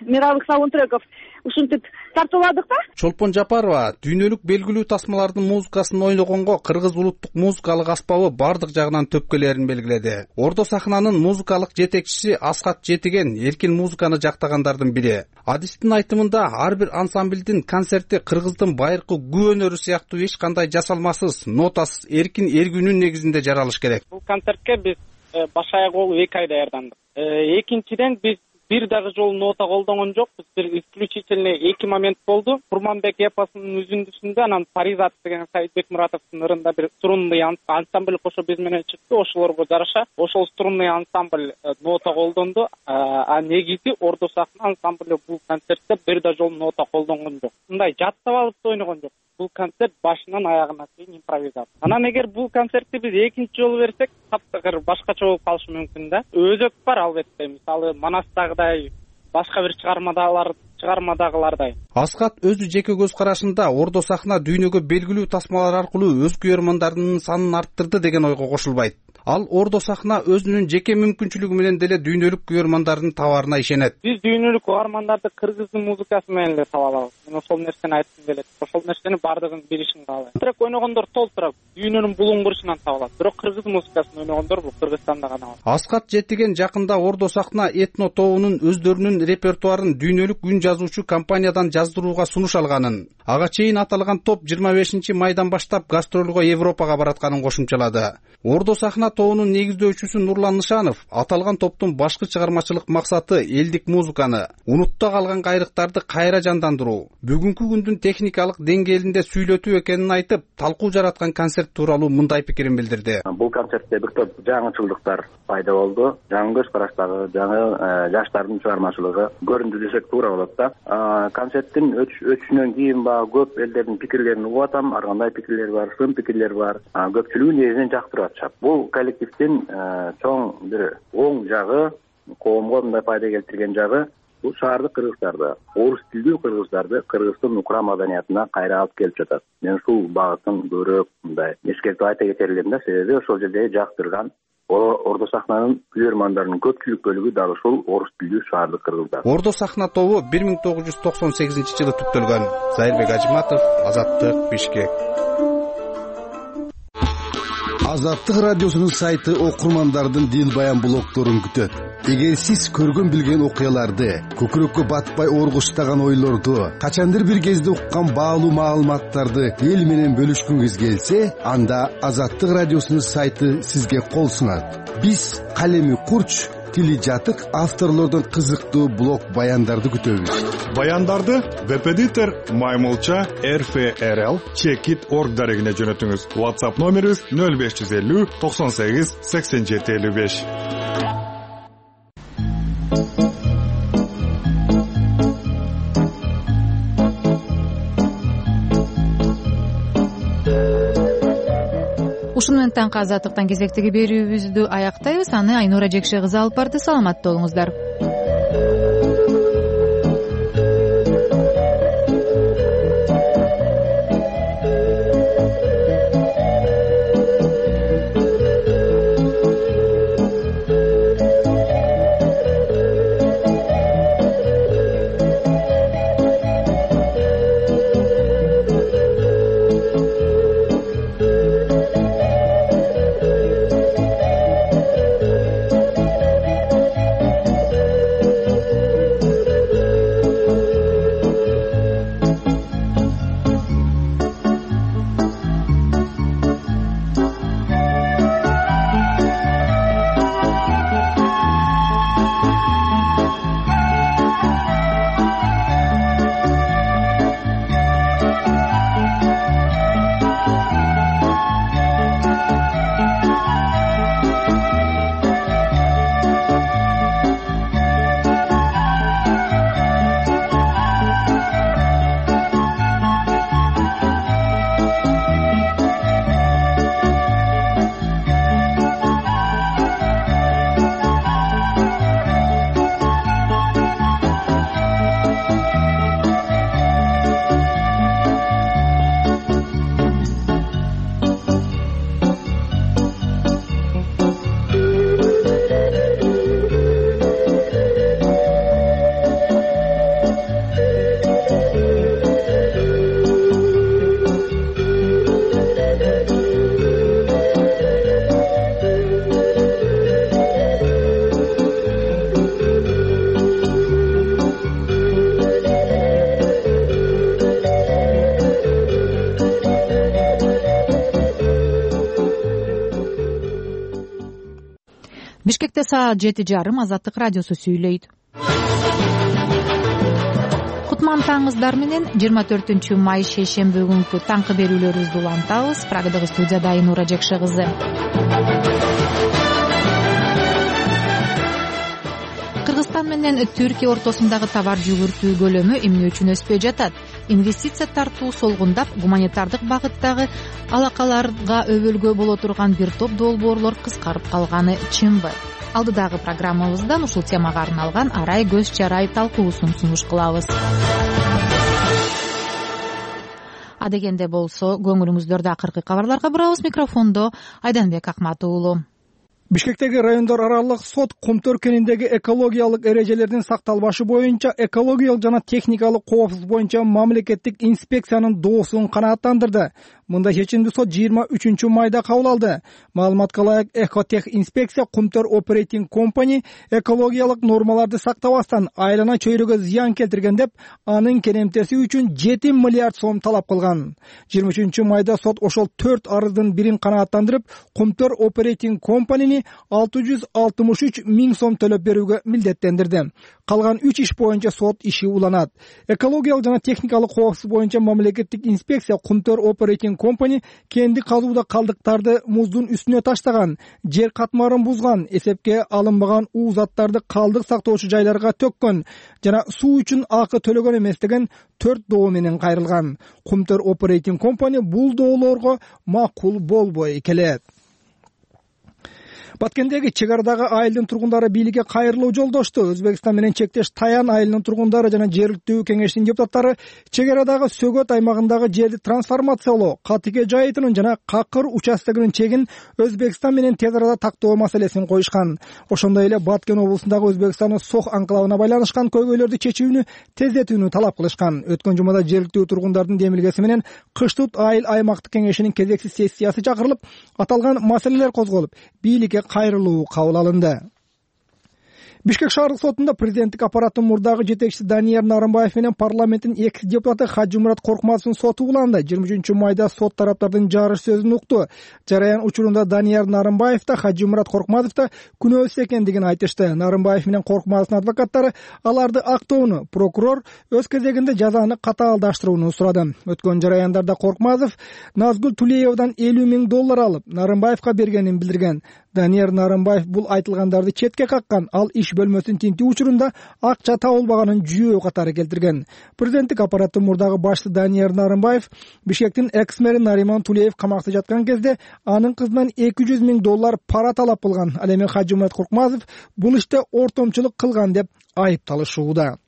мировых саундтреков ушинтип тартууладык да. Чолпон Жапарова дүйнөлүк белгилүү тасмалардын музыкасын ойногонго кыргыз улуттук музыкалык аспабы бардык жагынан төпкөлөрүн белгиледи. Ордо сахнанын музыкалык жетекчиси Асхат Жетиген эркин музыканы жактагандардын бири. Адистин айтымында ар бир ансамблдин концерти кыргыздын байыркы күү өнөрү сыяктуу эч кандай жасалмасыз, нотасыз, эркин эргүүнүн негизинде жаралыш керек. Бул концертке биз баш аяк болуп эки ай даярдандык. Экинчиден биз бир дагы жолу нота колдонгон жокпуз. Бир исключительно эки момент болду. Курманбек эпосунун үзүндүсүндө, анан Паризат деген Саидбек Муратовдун ырында бир струнный ансамбль кошо биз менен чыкты. Ошолорго жараша ошол струнный ансамбль нота колдонду. А негизи Ордо сахна ансамбль бул концертте бир да жолу нота колдонгон жок. Мындай жаттап алып ойногон жок. Бул концерт башынан аягына чейин импровизация. Анан эгер бул концертти биз экинчи жолу берсек, таптакыр башкача болуп калышы мүмкүн да. Өзөк бар албетте. Мисалы Манастагыдай, башка бир чыгармадагылар чыгармадагылардай. Асхат өзү жеке көз карашында Ордо сахна дүйнөгө белгилүү тасмалар аркылуу өз көрөрмандардын санын арттырды деген ойго кошулбайт. Ал Ордо сахна өзүнүн жеке мүмкүнчүлүгү менен деле дүйнөлүк көрөрмандардын табаарына ишенет. Биз дүйнөлүк угармандарды кыргыздын музыкасы менен эле таба алабыз. Мен ошол нерсени айткым келет. Ошол нерсени бардыгын билишин каалайм. Трек ойногондор толтура дүйнөнүн булуңгурушунан таба алат. Бирок кыргыз музыкасын ойногондор бул Кыргызстанда гана бар. Асхат Жетиген жакында Ордо сахна этно тобунун өздөрүнүн репертуарын дүйнөлүк үн жазуучу компаниядан жаздырууга сунуш алганын, ага чейин аталган топ жыйырма бешинчи майдан баштап гастролго Европага баратканын кошумчалады. Ордо сахна тобунун негиздөөчүсү Нурлан Нышанов аталган топтун башкы чыгармачылык максаты элдик музыканы, унутта калган кайрыктарды кайра жандандыруу, бүгүнкү күндүн техникалык деңгээлинде сүйлөтүү экенин айтып, талкуу жараткан концерт тууралуу мындай пикирин билдирди. Бул концертте бир топ жаңычылдыктар пайда болду. Жаңы көз караштагы, жаңы жаштардын чыгармачылыгы көрүндү десек туура болот да. Концерттин өтүшүнөн кийин баягы көп элдердин пикирлерин угуп атам. Ар кандай пикирлер бар, сын пикирлер бар. Көпчүлүгү негизинен жактырып атышат. Бул коллективдин чоң бир оң жагы, коомго мындай пайда келтирген жагы бул шаардык кыргыздарды, орус тилдүү кыргыздарды кыргыздын укра маданиятына кайра алып келип жатат. Мен ушул багытын көбүрөөк мындай эскертип айта кетер элем да, себеби ошол жерде жактырган Ордо сахнанын көрөрмандарынын көпчүлүк бөлүгү дал ушул орус тилдүү шаардык кыргыздар. Ордо сахна тобу бир миң тогуз жүз токсон сегизинчи жылы түптөлгөн. Зайырбек Ажиматов, Азаттык, Бишкек. Азаттык радиосунун сайты окурмандардын дил баян блогдорун күтөт. Эгер сиз көргөн билген окуяларды, көкүрөккө батпай оргуштаган ойлорду, качандыр бир кезде уккан баалуу маалыматтарды эл менен бөлүшкүңүз келсе, анда Азаттык радиосунун сайты сизге кол сунат. Биз калеми курч, тили жатык авторлордон кызыктуу блог баяндарды күтөбүз. Баяндарды веб-эдитор Маймылча эр эф эр эл чекит точка орг дарегине жөнөтүңүз. WhatsApp номерибиз нөл беш жүз элүү токсон сегиз сексен жети элүү беш. Ушуну менен таңкы азаттыктан кезектеги берүүбүздү аяктайбыз. Аны Айнура Жекше кызы алып барды. Саламатта болуңуздар. Бишкекте саат жети жарым Азаттык радиосу сүйлөйт. Кутман таңыздар менен жыйырма төртүнчү май шейшемби күнкү таңкы берүүлөрүбүздү улантабыз. Прагадагы студияда Айнура Жекше кызы. Кыргызстан менен Түркия ортосундагы товар жүгүртүү көлөмү эмне үчүн өспөй жатат? Инвестиция тартуу солгундап, гуманитардык багыттагы алакаларга өбөлгө боло турган бир топ долбоорлор кыскарып калганы чынбы? Алдыдагы программабыздан ушул темага арналган арай көз чарай талкуусун сунуш кылабыз. Адегенде болсо, көңүлүңүздөрдө акыркы кабарларга бурабыз. Микрофондо Айданбек Акмат уулу. Бишкектеги райондор аралык сот Кумтөр кениндеги экологиялык эрежелердин сакталбашы боюнча экологиялык жана техникалык коопсуздук боюнча мамлекеттик инспекциянын доосун канааттандырды. Мындай чечимди сот жыйырма үчүнчү майда кабыл алды. Маалыматка ылайык, Экотех инспекция Кумтөр Operating Company экологиялык нормаларды сактабастан айлана чөйрөгө зыян келтирген деп, анын керемтеси үчүн жети миллиард сом талап кылган. жыйырма үчүнчү майда сот ошол төрт арыздын бирин канааттандырып, Кумтөр Operating Company'ни алты жүз алтымыш үч миң сом төлөп берүүгө милдеттендирди. Калган үч иш боюнча сот иши уланат. Экологиялык жана техникалык коопсуздук боюнча мамлекеттик инспекция Кумтөр Operating Company кенди казууда калдыктарды муздун үстүнө таштаган, жер катмарын бузган, эсепке алынбаган уу заттарды калдык сактоочу жайларга төккөн жана суу үчүн акы төлөгөн эмес деген төрт доо менен кайрылган. Кумтөр Operating Company бул доолорго макул болбой келет. Баткендеги чек арадагы айылдын тургундары бийликке кайрылуу жолдошту. Өзбекстан менен чектеш Таян айылынын тургундары жана жергиликтүү кеңештин депутаттары чек арадагы Сөгөт аймагындагы жерди трансформациялоо, Катыке жайытынын жана Какыр участогунун чегин Өзбекстан менен тез арада тактоо маселесин коюшкан. Ошондой эле Баткен облусундагы Өзбекстандын Сох анклавына байланышкан көйгөйлөрдү чечүүнү тездетүүнү талап кылышкан. Өткөн жумада жергиликтүү тургундардын демилгеси менен Кыштут айыл аймактык кеңешинин кезексиз сессиясы чакырылып, аталган маселелер козголуп, бийликке кайрылуу кабыл алынды. Бишкек шаардык сотунда президенттик аппараттын мурдагы жетекчиси Данияр Нарымбаев менен парламенттин экс депутаты Хажымурат Коркмазовдун соту уланды. жыйырма үчүнчү майда сот тараптардын жарыш сөзүн укту. Жараян учурунда Данияр Нарымбаев да Хажымурат Коркмазов да күнөөсүз экендигин айтышты. Нарымбаев менен Коркмазовдун адвокаттары аларды актоону, прокурор өз кезегинде жазаны катаалдаштырууну сурады. Өткөн жараяндарда Коркмазов Назгүл Тулеевадан элүү миң доллар алып, Нарымбаевка бергенин билдирген. Данияр Нарымбаев бул айтылгандарды четке каккан, ал иш бөлмөсүн тинтүү учурунда акча табылбаганын жүйөө катары келтирген. Президенттик аппараттын мурдагы башчысы Данияр Нарымбаев Бишкектин экс-мэри Нариман Тулеев камакта жаткан кезде анын кызынан эки жүз миң доллар пара талап кылган. Ал эми Хажымурат Коркмазов бул иште ортомчулук кылган деп айыпталышууда.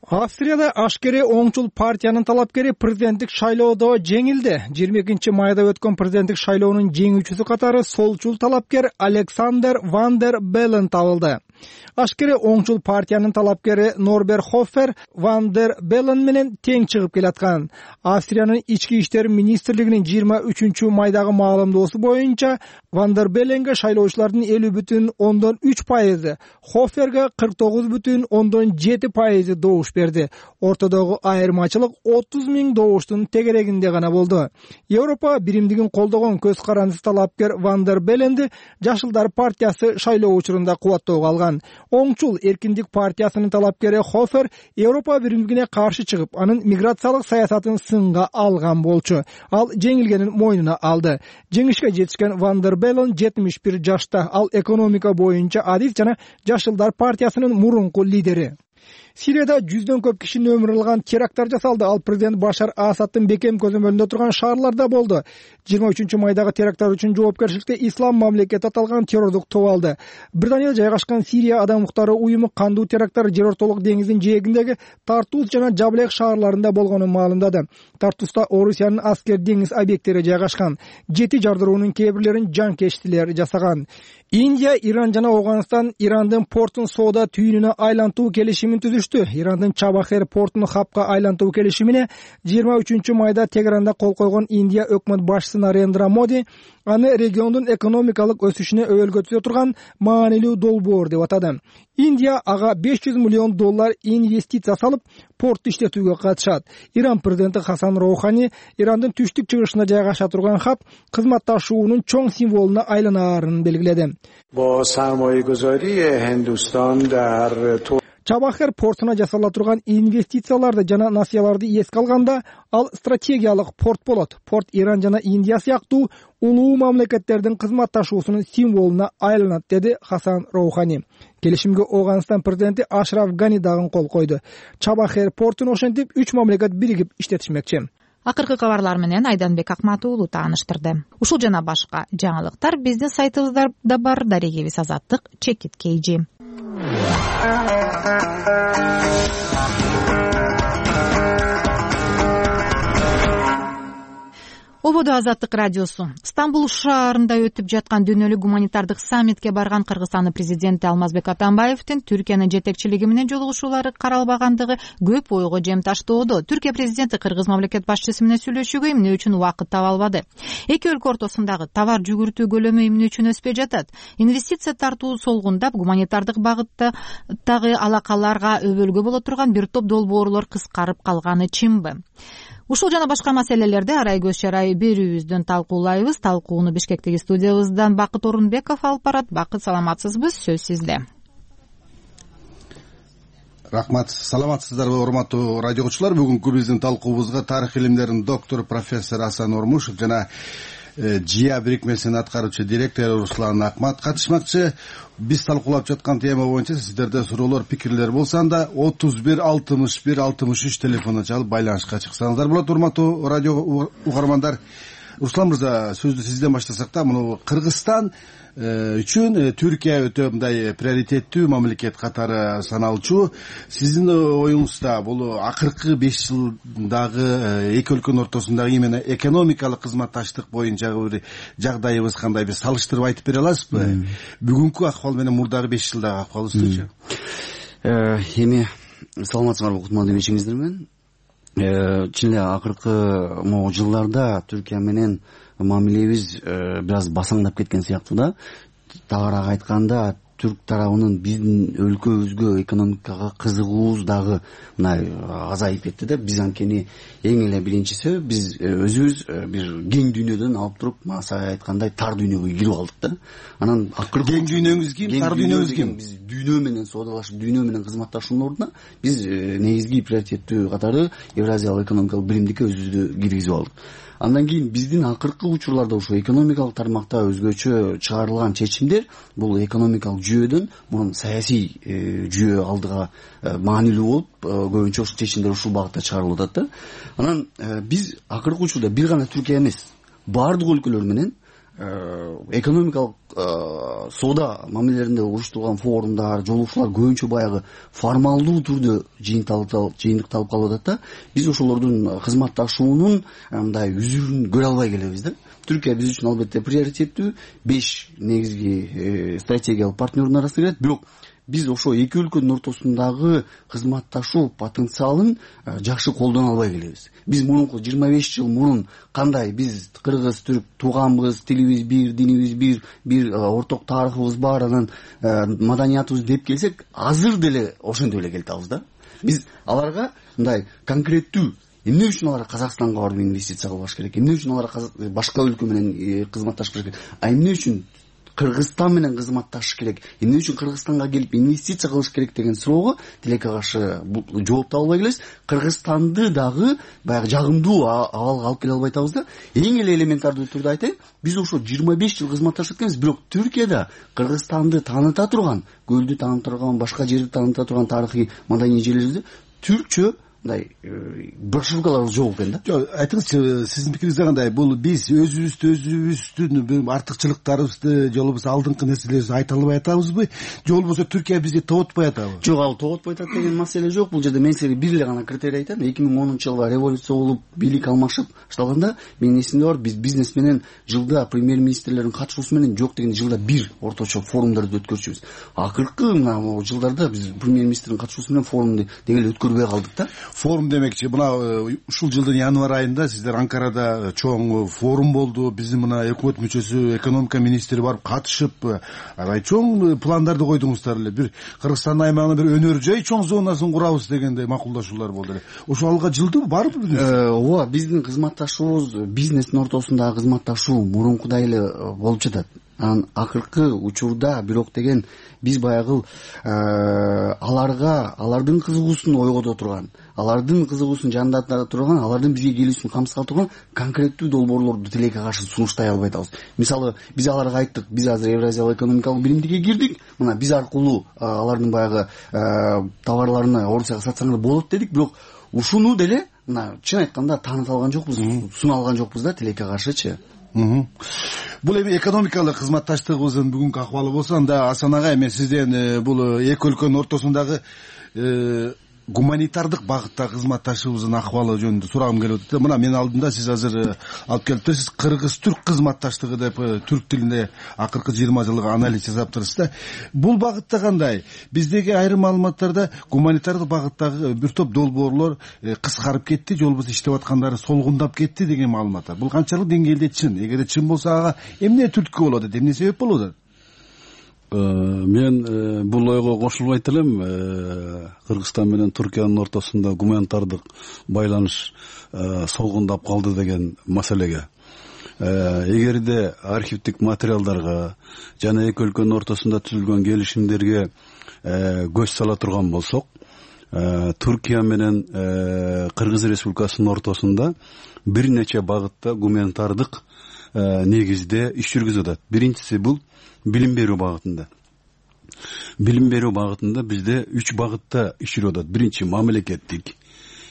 Австрияда ашкере оңчул партиянын талапкери президенттик шайлоодо жеңилди. жыйырма экинчи майда өткөн президенттик шайлоонун жеңүүчүсү катары солчул талапкер Александер ван дер Беллен табылды. Ашкере оңчул партиянын талапкери Норбер Хоффер ван дер Беллен менен тең чыгып келаткан. Австриянын ички иштер министрлигинин жыйырма үчүнчү майдагы маалымдоосу боюнча ван дер Белленге шайлоочулардын элүү бүтүн ондон үч пайызы, Хофферге кырк тогуз бүтүн ондон жети пайызы добуш берди. Ортодогу айырмачылык отуз миң добуштун тегерегинде гана болду. Европа биримдигин колдогон көз карандысыз талапкер ван дер Белленди Жашылдар партиясы шайлоо учурунда кубаттоого алган. Оңчул эркиндик партиясынын талапкери Хоффер Европа биримдигине каршы чыгып, анын миграциялык саясатын сынга алган болчу. Ал жеңилгенин мойнуна алды. Жеңишке жетишкен ван дер Беллен жетимиш бир жашта. Ал экономика боюнча адис жана Жашылдар партиясынын мурунку лидери. Сирияда жүздөн көп кишинин өмүрүн алган теракттар жасалды. Ал президент Башар Асадтын бекем көзөмөлүндө турган шаарларда болду. жыйырма үчүнчү майдагы теракттар үчүн жоопкерчиликти Ислам мамлекети аталган террордук топ алды. Британияда жайгашкан Сирия адам укуктары уюму кандуу теракттар Жер ортолук деңизинин жээгиндеги Тартус жана Жаблек шаарларында болгонун маалымдады. Тартуста Орусиянын аскер деңиз объекттери жайгашкан. Жети жардыруунун кээ бирлерин жанкечтилер жасаган. Индия, Иран жана Афганистан Ирандын портун соода түйүнүнө айлантуу келишимин түзүштү. Ирандын Чабахер портун хапка айлантуу келишимине жыйырма үчүнчү майда Тегеранда кол койгон Индия өкмөт башчысы Нарендра Моди аны региондун экономикалык өсүшүнө өбөлгө түзө турган маанилүү долбоор деп атады. Индия ага беш жүз миллион доллар инвестиция салып, портты иштетүүгө катышат. Иран президенти Хасан Роухани Ирандын түштүк чыгышында жайгаша турган хат кызматташуунун чоң символуна айланаарын белгиледи. Чабахер портуна жасала турган инвестицияларды жана насыяларды эске алганда, ал стратегиялык порт болот. Порт Иран жана Индия сыяктуу улуу мамлекеттердин кызматташуусунун символуна айланат, деди Хасан Роухани. Келишимге Ооганстан президенти Ашраф Гани дагы кол койду. Чабахер портун ошентип үч мамлекет биригип иштетишмекчи. Акыркы кабарлар менен Айданбек Акматуулу тааныштырды. Ушул жана башка жаңылыктар биздин сайтыбызда бар. Дарегибиз Азаттык, Чекит Кейжи. Ободо Азаттык радиосу. Стамбул шаарында өтүп жаткан дүйнөлүк гуманитардык саммитке барган Кыргызстандын президенти Алмазбек Атамбаевдин Түркиянын жетекчилиги менен жолугушуулары каралбагандыгы көп ойго жем таштоодо. Түркия президенти кыргыз мамлекет башчысы менен сүйлөшүүгө эмне үчүн убакыт таба албады? Эки өлкө ортосундагы товар жүгүртүү көлөмү эмне үчүн өспөй жатат? Инвестиция тартуу солгундап, гуманитардык багыттагы алакаларга өбөлгө боло турган бир топ долбоорлор кыскарып калганы чынбы? Ушул жана башка маселелерди арай көз чарай берүүбүздөн талкуулайбыз. Талкууну Бишкектеги студиябыздан Бакыт Орунбеков алып барат. Бакыт, саламатсызбы? Сөз сизде. Рахмат. Саламатсыздарбы, урматтуу радиогочулар? Бүгүнкү биздин талкуубузга тарых илимдеринин доктору профессор Асан Ормушев жана ЖИА бирикмесинин аткаруучу директору Руслан Акмат катышмакчы. Биз талкуулап жаткан тема боюнча сиздерде суроолор, пикирлер болсо анда отуз бир алтымыш бир алтымыш үч телефонуна чалып байланышка чыксаңыздар болот. Урматтуу радио угармандар, Руслан мырза, сөздү сизден баштасак да, муну Кыргызстан үчүн Түркия өтө мындай приоритеттүү мамлекет катары саналчу. Сиздин оюңузда бул акыркы беш жылдагы эки өлкөнүн ортосундагы именно экономикалык кызматташтык боюнчагы бир жагдайыбыз кандай, бир салыштырып айтып бере аласызбы? Бүгүнкү акыбал менен мурдагы беш жылдагы акыбалыбызчы? Эми саламатсыңарбы, кутмандуу эмешиңиздер менен. Чын эле акыркы могу жылдарда Түркия менен мамилебиз бир аз басаңдап кеткен сыяктуу да. Тагыраак айтканда, түрк тарабынын биздин өлкөбүзгө экономикага кызыгуубуз дагы мындай азайып кетти да. Биз анткени эң эле биринчи себеп, биз өзүбүз бир кең дүйнөдөн алып туруп, маса айткандай тар дүйнөгө кирип алдык да. Анан акыркы кең дүйнөңүз ким, тар дүйнөңүз ким? Биз дүйнө менен соодалашып, дүйнө менен кызматташуунун ордуна биз негизги приоритеттүү катары Евразиялык экономикалык биримдикке өзүбүздү киргизип алдык. Андан кийин биздин акыркы учурларда ошо экономикалык тармакта өзгөчө чыгарылган чечимдер бул экономикалык жүйөдөн мурун саясий жүйө алдыга маанилүү болуп, көбүнчө ошол чечимдер ушул багытта чыгарылып атат да. Анан биз акыркы учурда бир гана Түркия эмес, баардык өлкөлөр менен экономикалык соода мамилелеринде уюштурулган форумдар, жолугушуулар көбүнчө баягы формалдуу түрдө жыйынтыкталып калып атат да. Биз ошолордун кызматташуунун мындай үзүрүн көрө албай келебиз да. Түркия биз үчүн албетте приоритеттүү, беш негизги стратегиялык партнердун арасына кирет, бирок биз ошо эки өлкөнүн ортосундагы кызматташуу потенциалын жакшы колдоно албай келебиз. Биз мурунку жыйырма беш жыл мурун кандай биз кыргыз, түрк тууганбыз, тилибиз бир, динибиз бир, бир орток тарыхыбыз бар, анан маданиятыбыз деп келсек, азыр деле ошентип эле келатабыз да. Биз аларга мындай конкреттүү эмне үчүн алар Казакстанга барып инвестиция кылбаш керек, эмне үчүн алар башка өлкө менен кызматташыш керек, а эмне үчүн Кыргызстан менен кызматташыш керек, эмне үчүн Кыргызстанга келип инвестиция кылыш керек деген суроого тилекке каршы жооп таба албай келебиз. Кыргызстанды дагы баягы жагымдуу абалга алып келе албай атабыз да. Эң эле элементардуу түрдө айтайын, биз ошо жыйырма беш жыл кызматташып атканбыз, бирок Түркияда Кыргызстанды тааныта турган, көлдү тааныта турган, башка жерди тааныта турган тарыхый маданий жерлерибизде түркчө мындай брошюркалар жок экен да. Жок, айтыңызчы, сиздин пикириңизде кандай? Бул биз өзүбүздү өзүбүздүн артыкчылыктарыбызды, жолубуз алдыңкы нерселерибизди айта албай атабызбы? Же болбосо Түркия бизди тоотпой атабы? Жок, ал тоотпой атат деген маселе жок. Бул жерде мен силерге бир эле гана критерий айтам. эки миң онунчу жылы революция болуп, бийлик алмашып башталганда, менин эсимде бар, биз бизнес менен жылда премьер-министрлердин катышуусу менен жок дегенде жылда бир орточо форумдарды өткөрчүбүз. Акыркы мына жылдарда биз премьер-министрдин катышуусу менен форумду дегеле өткөрбөй калдык да. Форум демекчи, мына ушул жылдын январь айында сиздер Анкарада чоң форум болду. Биздин мына өкмөт мүчөсү, экономика министри барып катышып, аябай чоң пландарды койдуңуздар эле. Бир Кыргызстандын аймагына бир өнөр жай чоң зонасын курабыз дегендей макулдашуулар болду эле. Ошо алга жылдыбы, барбы? Ооба, биздин кызматташуубуз, бизнестин ортосундагы кызматташуу мурункудай эле болуп жатат. анан акыркы учурда бирок деген биз баягы аларга алардын кызыгуусун ойгото турган, алардын кызыгуусун жандата турган, алардын бизге келүүсүн камсыз турган конкреттүү долбоорлорду тилекке каршы сунуштай албай атабыз. Мисалы биз аларга айттык, биз азыр Евразиялык экономикалык биримдикке кирдик, мына биз аркылуу алардын баягы товарларына Орусияга сатсаңар болот дедик, бирок ушуну деле мына чын айтканда тааныта алган жокпуз, суна алган жокпуз да тилекке каршычы. Бул эми экономикалык кызматташтыгыбыздын бүгүнкү акыбалы болсо, анда Асан ага эми сизден бул эки өлкөнүн ортосундагы гуманитардык багыттагы кызматташыбыздын акыбалы жөнүндө сурагым келип атат. Мына менин алдымда сиз азыр алып келиптирсиз, кыргыз-түрк кызматташтыгы деп түрк тилинде акыркы жыйырма жылга анализ жасаптырсыз да. Бул багытта кандай? Биздеги айрым маалыматтарда гуманитардык багыттагы бир топ долбоорлор кыскарып кетти, же болбосо иштеп аткандары солгундап кетти деген маалымат бар. Бул канчалык деңгээлде чын? Эгерде чын болсо ага эмне түрткү болот, эмне себеп болуп атат? Мен бул ойго кошулбайт элем. Кыргызстан менен Түркиянын ортосунда гуманитардык байланыш солгундап калды деген маселеге. Эгерде архивдик материалдарга жана эки өлкөнүн ортосунда түзүлгөн келишимдерге көз сала турган болсок, Түркия менен Кыргыз Республикасынын ортосунда бир нече багытта гуманитардык негизде иш жүргүзүп атат. Биринчиси бул билим берүү багытында. Билим берүү багытында бизде үч багытта иш жүрүп атат. Биринчи мамлекеттик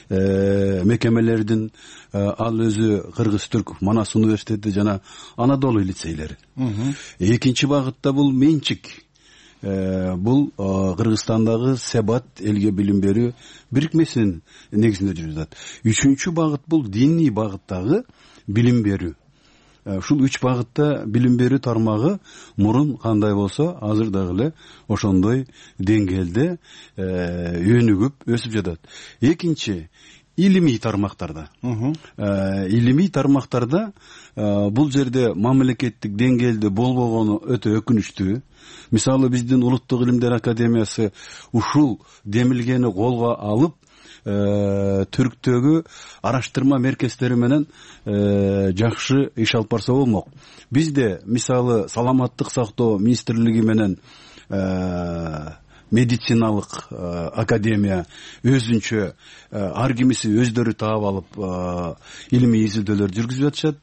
мекемелердин, ал өзү Кыргыз-Түрк Манас университети жана Анадолу лицейлери. Экинчи багытта бул менчик. Бул Кыргызстандагы Себат элге билим берүү бирикмесинин негизинде жүрүп атат. Үчүнчү багыт бул диний багыттагы билим берүү. Ушул үч багытта билим берүү тармагы мурун кандай болсо, азыр дагы эле ошондой деңгээлде өнүгүп өсүп жатат. Экинчи, илимий тармактарда. Илимий тармактарда бул жерде мамлекеттик деңгээлде болбогону өтө өкүнүчтүү. Мисалы биздин Улуттук илимдер академиясы ушул демилгени колго алып, Түрктөгү араштырма меркездери менен жакшы иш алып барса болмок. Бизде мисалы саламаттык сактоо министрлиги менен медициналык академия өзүнчө ар кимиси өздөрү таап алып илимий изилдөөлөр жүргүзүп жатышат.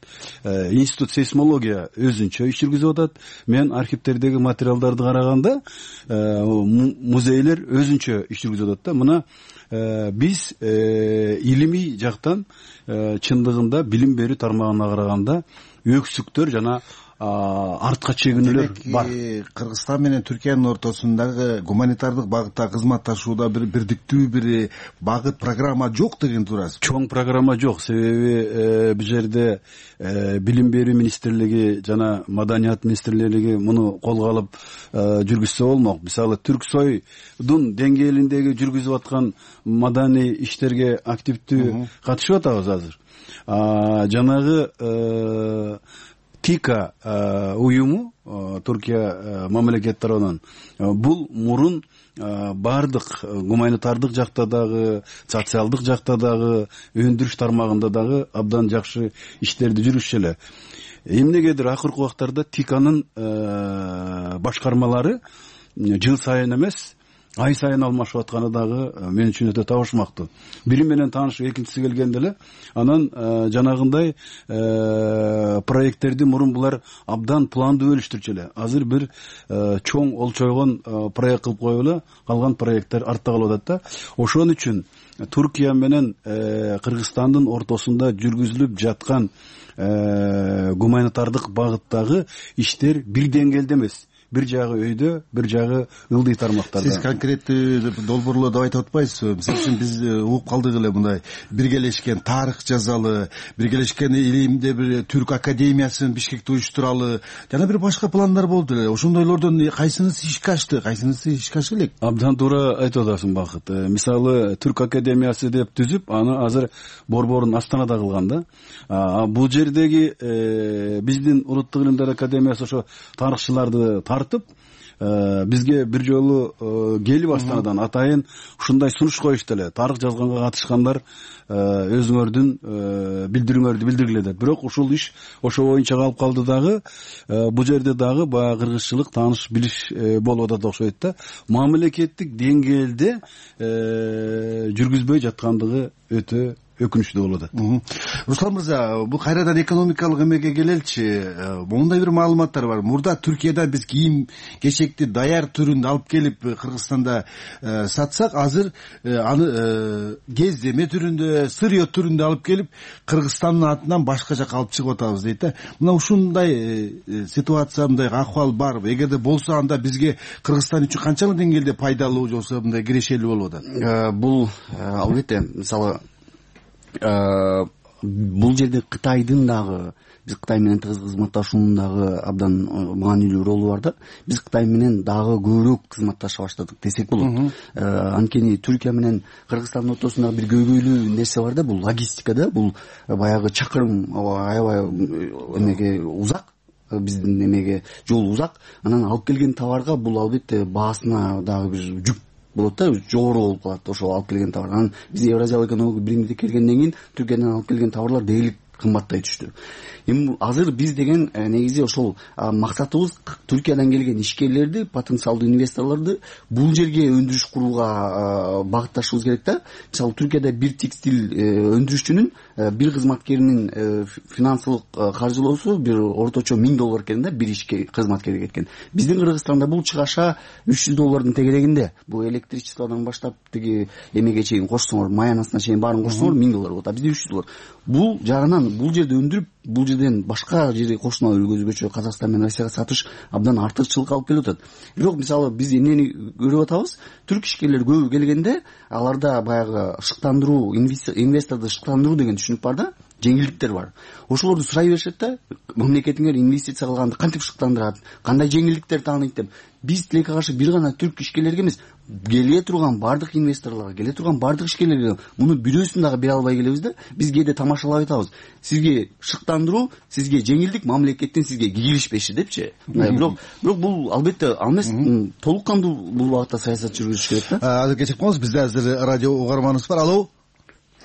Институт сейсмология өзүнчө иш жүргүзүп атат. Мен архивдердеги материалдарды караганда музейлер өзүнчө иш жүргүзүп атат да. Мына биз илимий жактан чындыгында билим берүү тармагына караганда өксүктөр жана артка чегинүүлөр бар. Кыргызстан менен Түркиянын ортосундагы гуманитардык багытта кызматташууда бир бирдиктүү бир багыт программа жок деген турасыз. Чоң программа жок. Себеби бул жерде билим берүү министрлиги жана маданият министрлиги муну колго алып жүргүзсө болмок. Мисалы Түрксойдун деңгээлиндеги жүргүзүп аткан маданий иштерге активдүү катышып атабыз азыр. Жанагы ТИКА уюму, Түркия мамлекет тарабынан, бул мурун бардык гуманитардык жакта дагы, социалдык жакта дагы, өндүрүш тармагында дагы абдан жакшы иштерди жүргүзүшү эле. Эмнегедир акыркы убактарда ТИКАнын башкармалары жыл сайын эмес, ай сайын алмашып атканы дагы мен үчүн өтө табышмактуу. Бири менен таанышып экинчиси келгенде эле анан жанагындай проекттерди мурун булар абдан пландуу бөлүштүрчү эле. Азыр бир чоң олчойгон проект кылып коюп эле калган проекттер артта калып атат да. Ошон үчүн Түркия менен Кыргызстандын ортосунда жүргүзүлүп жаткан гуманитардык багыттагы иштер бир деңгээлде эмес. Бир жагы өйдө, бир жагы ылдый тармактарда. Сиз конкреттүү долбоорлорду айтып атпайсызбы? Мисалы үчүн биз угуп калдык эле мындай биргелешкен тарых жазалы, биргелешкен илимде бир түрк академиясын Бишкекте уюштуралы, жана бир башка пландар болду эле. Ошондойлордон кайсынысы ишке ашты, кайсынысы ишке аша элек? Абдан туура айтып атасың Бакыт. Мисалы түрк академиясы деп түзүп, аны азыр борборун Астанада кылган да. Бул жердеги биздин Улуттук илимдер академиясы ошо тарыхчыларды тартып, бизге бир жолу келип астанадан атайын ушундай сунуш коюшту эле, тарых жазганга катышкандар өзүңөрдүн билдирүүңөрдү билдиргиле деп. Бирок ушул иш ошо боюнча калып калды дагы. Бул жерде дагы баягы кыргызчылык тааныш билиш болуп атат окшойт да. Мамлекеттик деңгээлде жүргүзбөй жаткандыгы өтө өкүнүчтүү болуп атат. Руслан мырза, бул кайрадан экономикалык эмеге келеличи. Мондай бир маалыматтар бар. Мурда Түркиядан биз кийим кечекти даяр түрүндө алып келип Кыргызстанда сатсак, азыр аны кездеме түрүндө, сырье түрүндө алып келип Кыргызстандын атынан башка жака алып чыгып атабыз дейт да. Мына ушундай ситуация, мындай акыбал барбы? Эгерде болсо, анда бизге Кыргызстан үчүн канчалык деңгээлде пайдалуу болсо, мындай кирешелүү болуп атат? Бул албетте, мисалы, бул жерде Кытайдын дагы, биз Кытай менен тыгыз кызматташуунун дагы абдан маанилүү ролу бар да. Биз Кытай менен дагы көбүрөөк кызматташа баштадык десек болот. Анткени Түркия менен Кыргызстандын ортосунда бир көйгөйлүү нерсе бар да, бул логистика да, бул баягы чакырым аябай эмеге узак. Биздин эмеге жол узак. Анан алып келген товарга бул албетте баасына дагы бир жүк болот да, жогору болуп калат ошол алып келген товар. Анан биз Евразиялык экономикалык биримге келгенден кийин Түркиядан алып келген товарлар дээрлик кымбаттай түштү. Эми азыр биз деген негизи ошол максатыбыз Түркиядан келген ишкерлерди, потенциалдуу инвесторлорду бул жерге өндүрүш курууга багытташыбыз керек да. Мисалы Түркияда бир текстиль өндүрүшчүнүн бир кызматкеринин финансылык каржылоосу бир орточо миң доллар экен да, бир ишке кызматкерге кеткен. Биздин Кыргызстанда бул чыгаша үч жүз доллардын тегерегинде. Бул электричестводон баштап тиги эмеге чейин кошсоңор, маянасына чейин баарын кошсоңор миң доллар болот. А бизде үч жүз доллар. Бул жагынан бул жерде өндүрүп, бул жерден башка жерге кошуна өлгөзбөчү Казакстан менен Россияга сатыш абдан артыкчылыкка алып келип атат. Бирок мисалы биз эмнени көрүп атабыз? Түрк ишкерлер көбү келгенде аларда баягы шыктандыруу, инвесторду шыктандыруу деген түшүнүк бар да, жеңилдиктер бар. Ошолорду сурай беришет да, мамлекетиңер инвестиция кылганды кантип шыктандырат, кандай жеңилдиктер тааныйт деп. Биз тилекке каршы бир гана түрк ишкерлерге эмес, келе турган бардык инвесторлорго, келе турган бардык ишкерлерге муну бирөөсүн дагы бере албай келебиз да. Биз кээде тамашалап айтабыз. Сизге шыктандыруу, сизге жеңилдик, мамлекеттен сизге кийлишпеши депчи. Бирок бирок бул албетте ал эмес, толук кандуу бул багытта саясат жүргүзүш керек да. Азыр кечирип коңуз, бизде азыр радио угарманыбыз бар. Алло.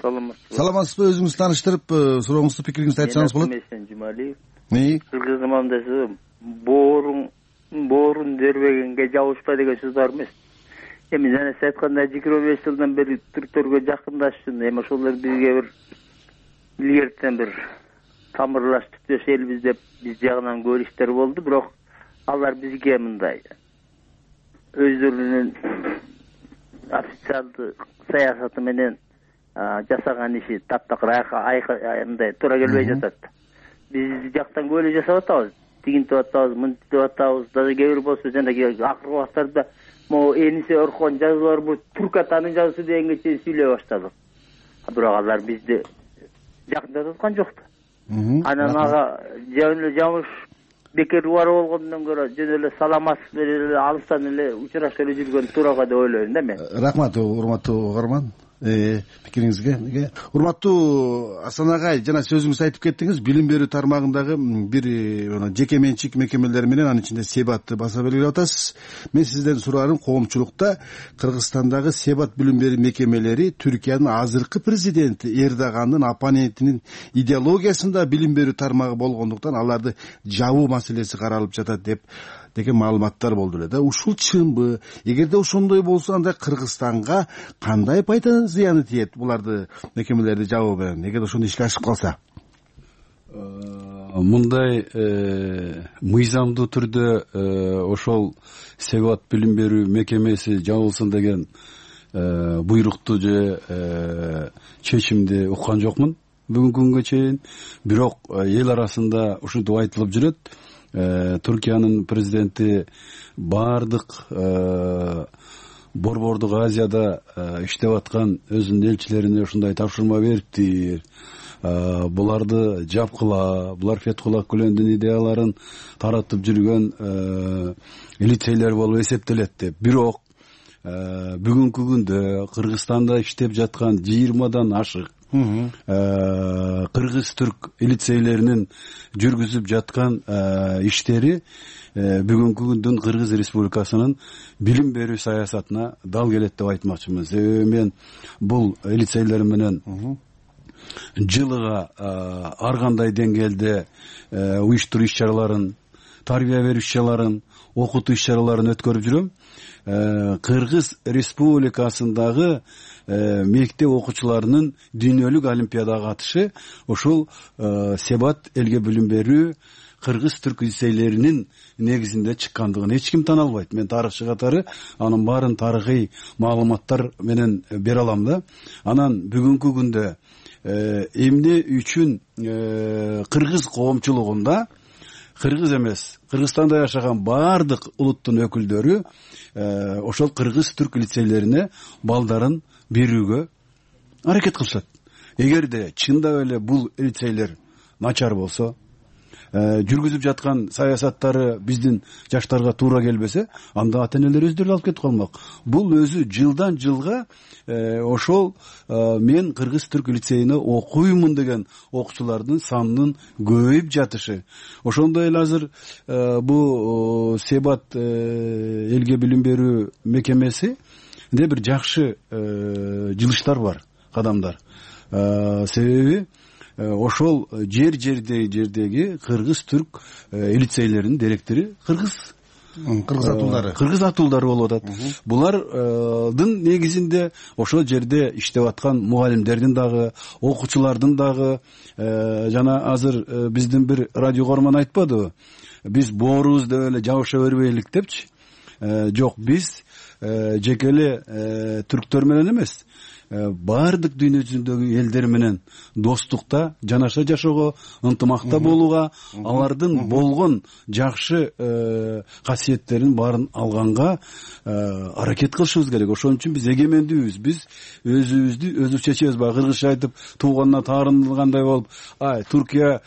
Саламатсызбы. Саламатсызбы, өзүңүздү тааныштырып, сурооңузду, пикириңизди айтсаңыз болот. Мен Жумалиев. Неи? Кыргыз замандасы боорун боорун дербегенге жабышпа деген сөз бар эмес. Эми жана сиз айткандай жыйырма беш жылдан бери түрктөргө жакындашсын, эми ошолор бизге бир илгертен бир тамырлаш түптөш элбиз деп биз жагынан көп иштер болду, бирок алар бизге мындай өздөрүнүн официалдуу саясаты менен жасаган иши таптакыр мындай туура келбей жатат. Биз жактан көп эле жасап атабыз, тигинтип атабыз, мынтип атабыз. Даже кээ бир болсо жанагы акыркы убактарда могу Энисе Орхон жазуулар бул түрк атанын жазуусу дегенге чейин сүйлөй баштадык. Бирок алар бизди жакындатып аткан жок да. Анан ага жөн эле жамыш бекер убара болгондон көрө жөн эле саламатсыз эле алыстан эле учурашып эле жүргөн туурага деп ойлойм да мен. Рахмат, урматтуу угарман. Пикириңизге. Урматтуу Асан агай, жана сөзүңүз айтып кеттиңиз, билим берүү тармагындагы бир жеке менчик мекемелер менен, анын ичинде Себатты баса белгилеп атасыз. Мен сизден сураарым, коомчулукта Кыргызстандагы Себат билим берүү мекемелери Түркиянын азыркы президенти Эрдогандын оппонентинин идеологиясында билим берүү тармагы болгондуктан аларды жабуу маселеси каралып жатат деп деген маалыматтар болду эле да. Ушул чынбы? Эгерде ошондой болсо, анда Кыргызстанга кандай пайда зыяны тиет буларды мекемелерди жабуу менен, эгерде ошондой ишке ашып калса? Мындай мыйзамдуу түрдө ошол Себат билим берүү мекемеси жабылсын деген буйрукту же чечимди уккан жокмун бүгүнкү күнгө чейин. Бирок эл арасында ушинтип айтылып жүрөт. Түркиянын президенти бардык Борбордук Азияда иштеп аткан өзүнүн элчилерине ушундай тапшырма бериптир. Буларды жапкыла, булар Фетхулла Гүлөндүн идеяларын таратып жүргөн лицейлер болуп эсептелет деп. Бирок бүгүнкү күндө Кыргызстанда иштеп жаткан жыйырмадан ашык кыргыз түрк лицейлеринин жүргүзүп жаткан иштери бүгүнкү күндүн Кыргыз Республикасынын билим берүү саясатына дал келет деп айтмакчымын. Себеби мен бул лицейлер менен жылыга ар кандай деңгээлде уюштуруу иш чараларын, тарбия берүү иш чараларын, окутуу иш чараларын өткөрүп жүрөм. Кыргыз Республикасындагы мектеп окуучуларынын дүйнөлүк олимпиадага катышы ошол себат элге билим берүү кыргыз түрк лицейлеринин негизинде чыккандыгын эч ким тана албайт. Мен тарыхчы катары анын баарын тарыхый маалыматтар менен бере алам да. Анан бүгүнкү күндө эмне үчүн кыргыз коомчулугунда кыргыз эмес, Кыргызстанда жашаган баардык улуттун өкүлдөрү ошол кыргыз түрк лицейлерине балдарын берүүгө аракет кылышат. Эгерде чындап эле бул лицейлер начар болсо, жүргүзүп жаткан саясаттары биздин жаштарга туура келбесе, анда ата энелер өздөрү алып кетип калмак. Бул өзү жылдан жылга ошол мен кыргыз түрк лицейине окуймун деген окуучулардын санынын көбөйүп жатышы. Ошондой эле азыр бул Себат элге билим берүү мекемеси де бир жакшы жылыштар бар, кадамдар. Себеби ошол жер жердеги жердеги кыргыз түрк лицейлеринин директори кыргыз кыргыз атуулдары кыргыз атуулдары болуп атат. Булардын негизинде ошол жерде иштеп аткан мугалимдердин дагы, окуучулардын дагы, жана азыр биздин бир радио көрмөн айтпадыбы, биз боорубуз деп эле жабыша бербейлик депчи. Жок, биз жеке эле түрктөр менен эмес, баардык дүйнө жүзүндөгү элдер менен достукта, жанаша жашоого, ынтымакта болууга, алардын болгон жакшы касиеттерин баарын алганга аракет кылышыбыз керек. Ошон үчүн биз эгемендүүбүз. Биз өзүбүздү өзүбүз чечебиз. Баягы кыргызча айтып, тууганына таарынылгандай болуп, ай, Туркия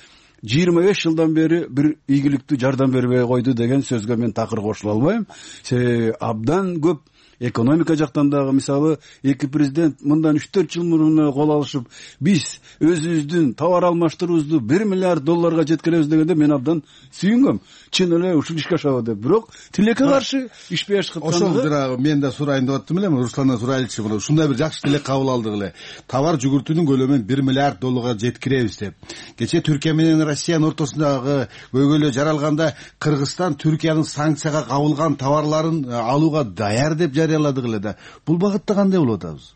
жыйырма беш жылдан бери бир ийгиликтүү жардам бербей койду деген сөзгө мен такыр кошула албайм. Себеби абдан көп экономика жактан дагы, мисалы, эки президент мындан үч төрт жыл мурун кол алышып, биз өзүбүздүн товар алмаштыруубузду бир миллиард долларга жеткиребиз дегенде мен абдан сүйүнгөм. Чын эле ушул ишке ашабы деп. Бирок тилекке каршы ишпей ашкандыгы. Ошол жанагы мен да сурайын деп аттым эле, Русландан сурайлычы, мына ушундай бир жакшы тилек кабыл алдык эле. Товар жүгүртүүнүн көлөмүн бир миллиард долларга жеткиребиз деп. Кечээ Түркия менен Россиянын ортосундагы көйгөйлөө жаралганда Кыргызстан Түркиянын санкцияга кабылган товарларын алууга даяр деп жарыяладык эле да. Бул багытта кандай болуп атабыз?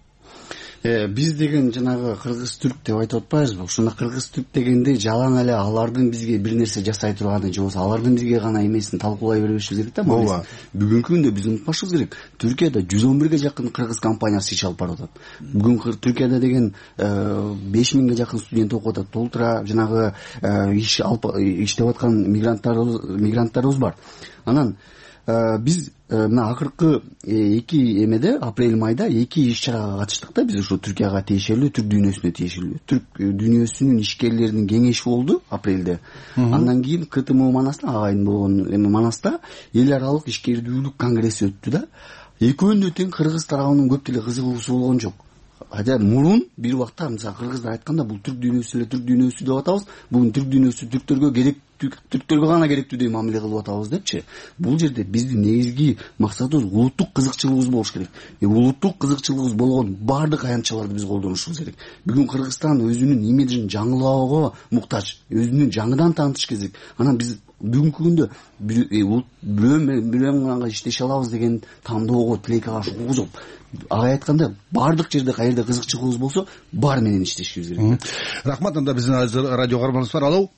Биз деген жанагы кыргыз түрк деп айтып атпайбызбы? Ушуна кыргыз түрк дегенде жалаң эле алардын бизге бир нерсе жасай турганы же болбосо алардын бизге гана эмесин талкуулай бербешибиз керек да. Ооба. Бүгүнкү күндө биз унутпашыбыз керек. Түркияда жүз он бирге жакын кыргыз компаниясы иш алып барып атат. Бүгүн Түркияда деген беш миңге жакын студент окуп атат. Толтура жанагы иш алып иштеп аткан мигранттарыбыз мигранттарыбыз бар. Анан биз мына акыркы эки эмеде апрель майда эки иш чарага катыштык да. Биз ушу Түркияга тиешелүү, түрк дүйнөсүнө тиешелүү. Түрк дүйнөсүнүн ишкерлеринин кеңеши болду апрелде. Андан кийин КТМ Манаста, агайын болгон эме Манаста эл аралык ишкердүүлүк конгресси өттү да. Экөөнүнө тең кыргыз тарабынын көп деле кызыгуусу болгон жок. Хотя мурун бир убакта мисалы кыргыздар айтканда бул түрк дүйнөсү эле түрк дүйнөсү деп атабыз. Бүгүн түрк дүйнөсү түрктөргө керек, түрктөргө гана керектүүдөй мамиле кылып атабыз депчи. Бул жерде биздин негизги максатыбыз улуттук кызыкчылыгыбыз болуш керек. Э улуттук кызыкчылыгыбыз болгон баардык аянтчаларды биз колдонушубуз керек. Бүгүн Кыргызстан өзүнүн имиджин жаңылоого муктаж, өзүнүн жаңыдан таанытыш керек. Анан биз бүгүнкү күндө бирөө менен иштеше алабыз деген тандоого, тилекке каршы укук жок. Ага айтканда баардык жерде каерде кызыкчылыгыбыз болсо, бар менен иштешибиз керек. Рахмат. Анда биздин радио каарманыбыз бар. Алло.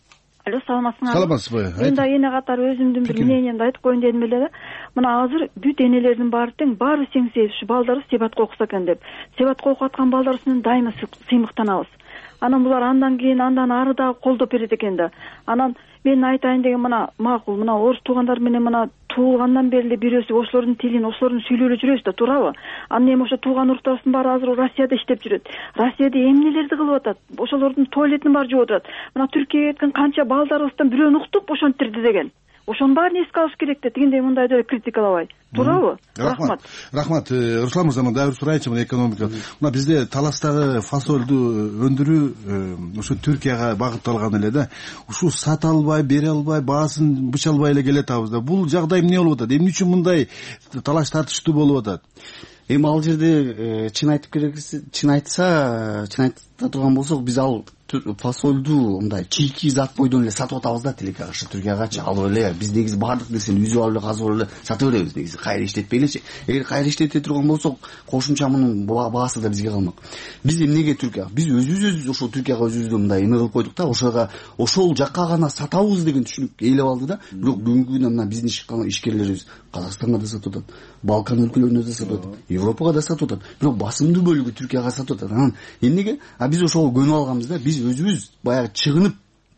Алло, саламатсыңарбы? Саламатсызбы? Мен да эне катары өзүмдүн бир мнениемди айтып коеюн дедим эле да. Мына азыр бүт энелердин баары тең, баары тең ушу балдары Себатка окуса экен деп. Себатка окуп аткан балдар үстүнөн дайыма сыймыктанабыз. Анан булар андан кийин андан ары дагы колдоп берет экен да. Анан мен айтайын деген мына макул, мына орус туугандар менен мына туулгандан бери эле бирөөсү ошолордун тилин, ошолордун сүйлөөлүп жүрөбүз да, туурабы? Анан эми ошо тууган уруктарыбыздын баары азыр Россияда иштеп жүрөт. Россияда эмнелерди кылып атат? Ошолордун туалетин баары жууп атат. Мына Түркияга кеткен канча балдарыбыздан бирөөнү уктуп ошентирди деген. ошонун баарын эске алыш керек да, тигиндей мындайды эле критикалабай. Туурабы? Рахмат. Рахмат. Руслан мырза, дагы бир сурайынчы, мына экономика. Мына бизде таластагы фасолду өндүрүү ошо Түркияга багытталган эле да. Ушул сата албай, бере албай, баасын быча албай эле келатабыз да. Бул жагдай эмне болуп атат? Эмне үчүн мындай талаш тартыштуу болуп атат? Эми ал жерде чын айтып керексе, чын айтса, чын айта турган болсок, биз ал фасолду мындай чийки зат бойдон эле сатып атабыз да, тилекке каршы Түркиягачы алып эле. Биз негизи баардык нерсени үзүп алып эле, казып алып эле сатып беребиз негизи, кайра иштетпей элечи. Эгер кайра иштете турган болсок, кошумча мунун баасы да бизге калмак. Биз эмнеге Түркия? Биз өзүбүз ошол Түркияга өзүбүздү мындай эме кылып койдук да, ошого ошол жакка гана сатабыз деген түшүнүк ээлеп алды да. Бирок бүгүнкү күндө мына биздин ишкерлерибиз Казакстанга да сатып атат, Балкан өлкөлөрүнө да сатып атат, Европага да сатып атат. Бирок басымдуу бөлүгү Түркияга сатып атат. Анан эмнеге? А биз ошого көнүп алганбыз да. Биз өзүбүз баягы чыгынып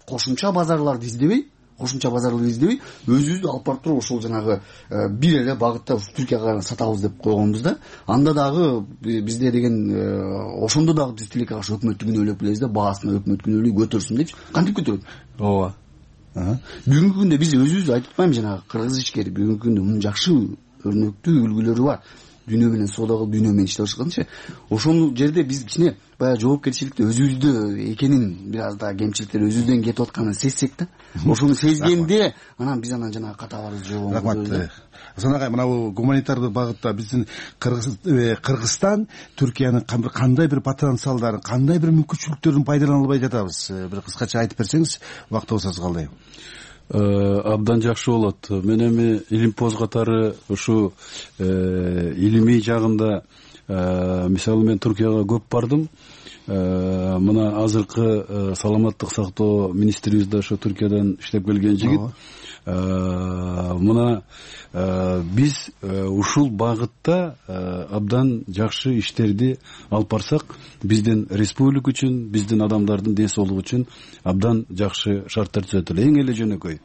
кошумча базарларды издебей, кошумча базарларды издебей, өзүбүздү алып барып туруп ошол жанагы бир эле багытта Түркияга сатабыз деп койгонбуз да. Анда дагы бизде деген ошондо дагы биз тилекке каршы өкмөттү күнөөлөп келебиз да, баасын өкмөт күнөөлөй көтөрсүн депчи. Кантип көтөрөт? Ооба. Бүгүнкү күндө биз өзүбүз айтып атпаймынбы, жанагы кыргыз ишкери бүгүнкү күндө мунун жакшы өрнөктүү үлгүлөрү бар. Дүйнө менен соода кылып, дүйнө менен иштеп жатканчы. Ошол жерде биз кичине баягы жоопкерчиликти өзүбүздө экенин, бир аз да кемчиликтер өзүбүздөн кетип атканын сезсек да. Ошону сезгенде анан биз анан жанагы катабарыбызды жогобуз. Рахмат. Асан агай, мына бул гуманитардык багытта биздин Кыргызстан Түркиянын кандай бир потенциалдарын, кандай бир мүмкүнчүлүктөрүн пайдалана албай жатабыз? Бир кыскача айтып берсеңиз, убактыбыз аз калды. Абдан жакшы болот. Мен эми илимпоз катары ушу илимий жагында, мисалы мен Түркияга көп бардым. Мына азыркы саламаттык сактоо министрибиз да ошо Түркиядан иштеп келген жигит. Мына биз ушул багытта абдан жакшы иштерди алып барсак, биздин республика үчүн, биздин адамдардын ден соолугу үчүн абдан жакшы шарттар түзөт эле. Эң эле жөнөкөй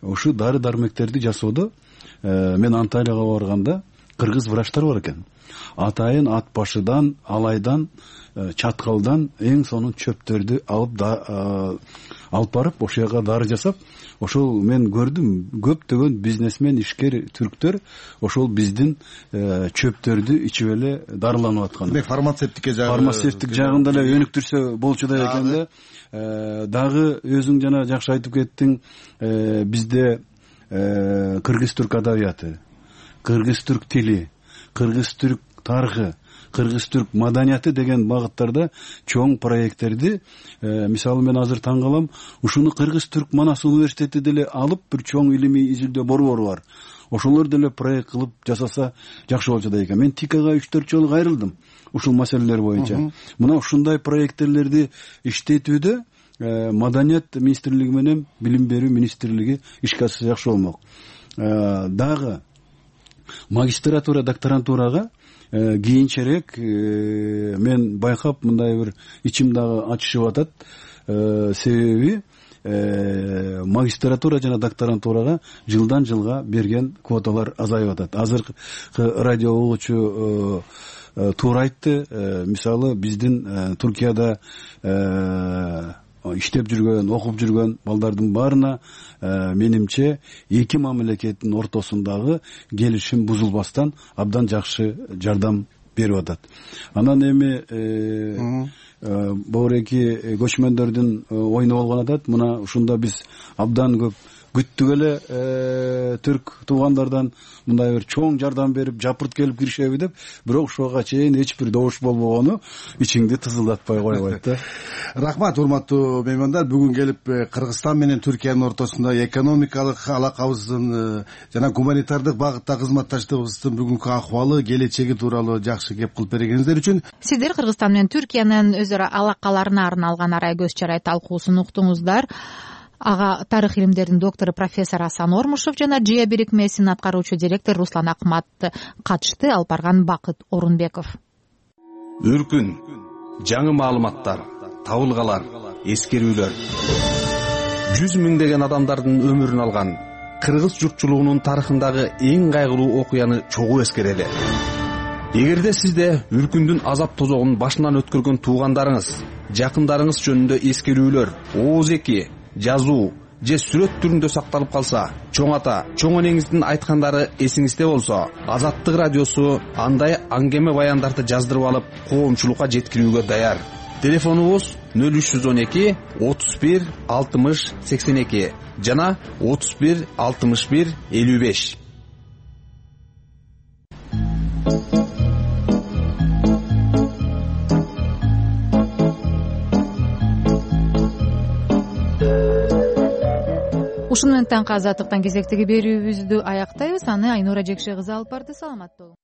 ушу дары дармектерди жасоодо мен Анталияга барганда кыргыз врачтар бар экен. Атайын ат башыдан, алайдан, чаткалдан эң сонун чөптөрдү алып алып барып ошол жака дары жасап, ошол мен көрдүм, көптөгөн бизнесмен, ишкер түрктөр ошол биздин чөптөрдү ичип эле дарыланып аткан. Фармацевтикке жагы фармацевтик жагында эле өнүктүрсө болчу да экен да. Дагы өзүң жана жакшы айтып кеттиң, бизде кыргыз-түрк адабияты, кыргыз-түрк тили, кыргыз-түрк тарыхы, кыргыз-түрк маданияты деген багыттарда чоң проекттерди, мисалы мен азыр таң калам, ушуну Кыргыз-түрк Манас университети деле алып бир чоң илимий изилдөө борбору бар. Ошолор деле проект кылып жасаса жакшы болчу да экен. Мен Тикага үч төрт жолу кайрылдым ушул маселелер боюнча. Мына ушундай проекттерлерди иштетүүдө Маданият министрлиги менен Билим берүү министрлиги ишке ашса жакшы болмок. Дагы магистратура, докторантурага кийинчерээк мен байкап мындай бир ичим дагы ачышып атат. Себеби магистратура жана докторантурага жылдан жылга берген квоталар азайып атат. Азыркы радио угуучу туура айтты. Мисалы биздин Түркияда иштеп жүргөн, окуп жүргөн балдардын баарына менимче эки мамлекеттин ортосундагы келишим бузулбастан абдан жакшы жардам берип атат. Анан эми боореки көчмөндөрдүн оюну болгон атат. Мына ушунда биз абдан көп күттүк эле түрк туугандардан мындай бир чоң жардам берип, жапырт келип киришеби деп, бирок ушуга чейин эч бир добуш болбогону ичиңди тызылдатпай койбойт да. Рахмат, урматтуу меймандар. Бүгүн келип Кыргызстан менен Түркиянын ортосунда экономикалык алакабыздын жана гуманитардык багытта кызматташтыгыбыздын бүгүнкү акыбалы, келечеги тууралуу жакшы кеп кылып бергениңиздер үчүн. Сиздер Кыргызстан менен Түркиянын өз ара алакаларына арналган арай көз чарай талкуусун уктуңуздар. Ага тарых илимдеринин доктору профессор Асан Ормушев жана Джия бирикмесинин аткаруучу директору Руслан Акмат катышты. Алып барган Бакыт Орунбеков. Үркүн, жаңы маалыматтар, табылгалар, эскерүүлөр. Жүз миңдеген адамдардын өмүрүн алган кыргыз журтчулугунун тарыхындагы эң кайгылуу окуяны чогуу эскерели. Эгерде сизде үркүндүн азап тозогун башынан өткөргөн туугандарыңыз, жакындарыңыз жөнүндө эскерүүлөр, ооз эки, жазуу же сүрөт түрүндө сакталып калса, чоң ата чоң энеңиздин айткандары эсиңизде болсо, Азаттык радиосу андай аңгеме баяндарды жаздырып алып коомчулукка жеткирүүгө даяр. Телефонубуз нөл үч жүз он эки отуз бир алтымыш сексен эки жана отуз бир алтымыш бир элүү беш. Ушуну менен таңкы азаттыктан кезектеги берүүбүздү аяктайбыз. Аны Айнура Жекше кызы алып барды. Саламат болуң.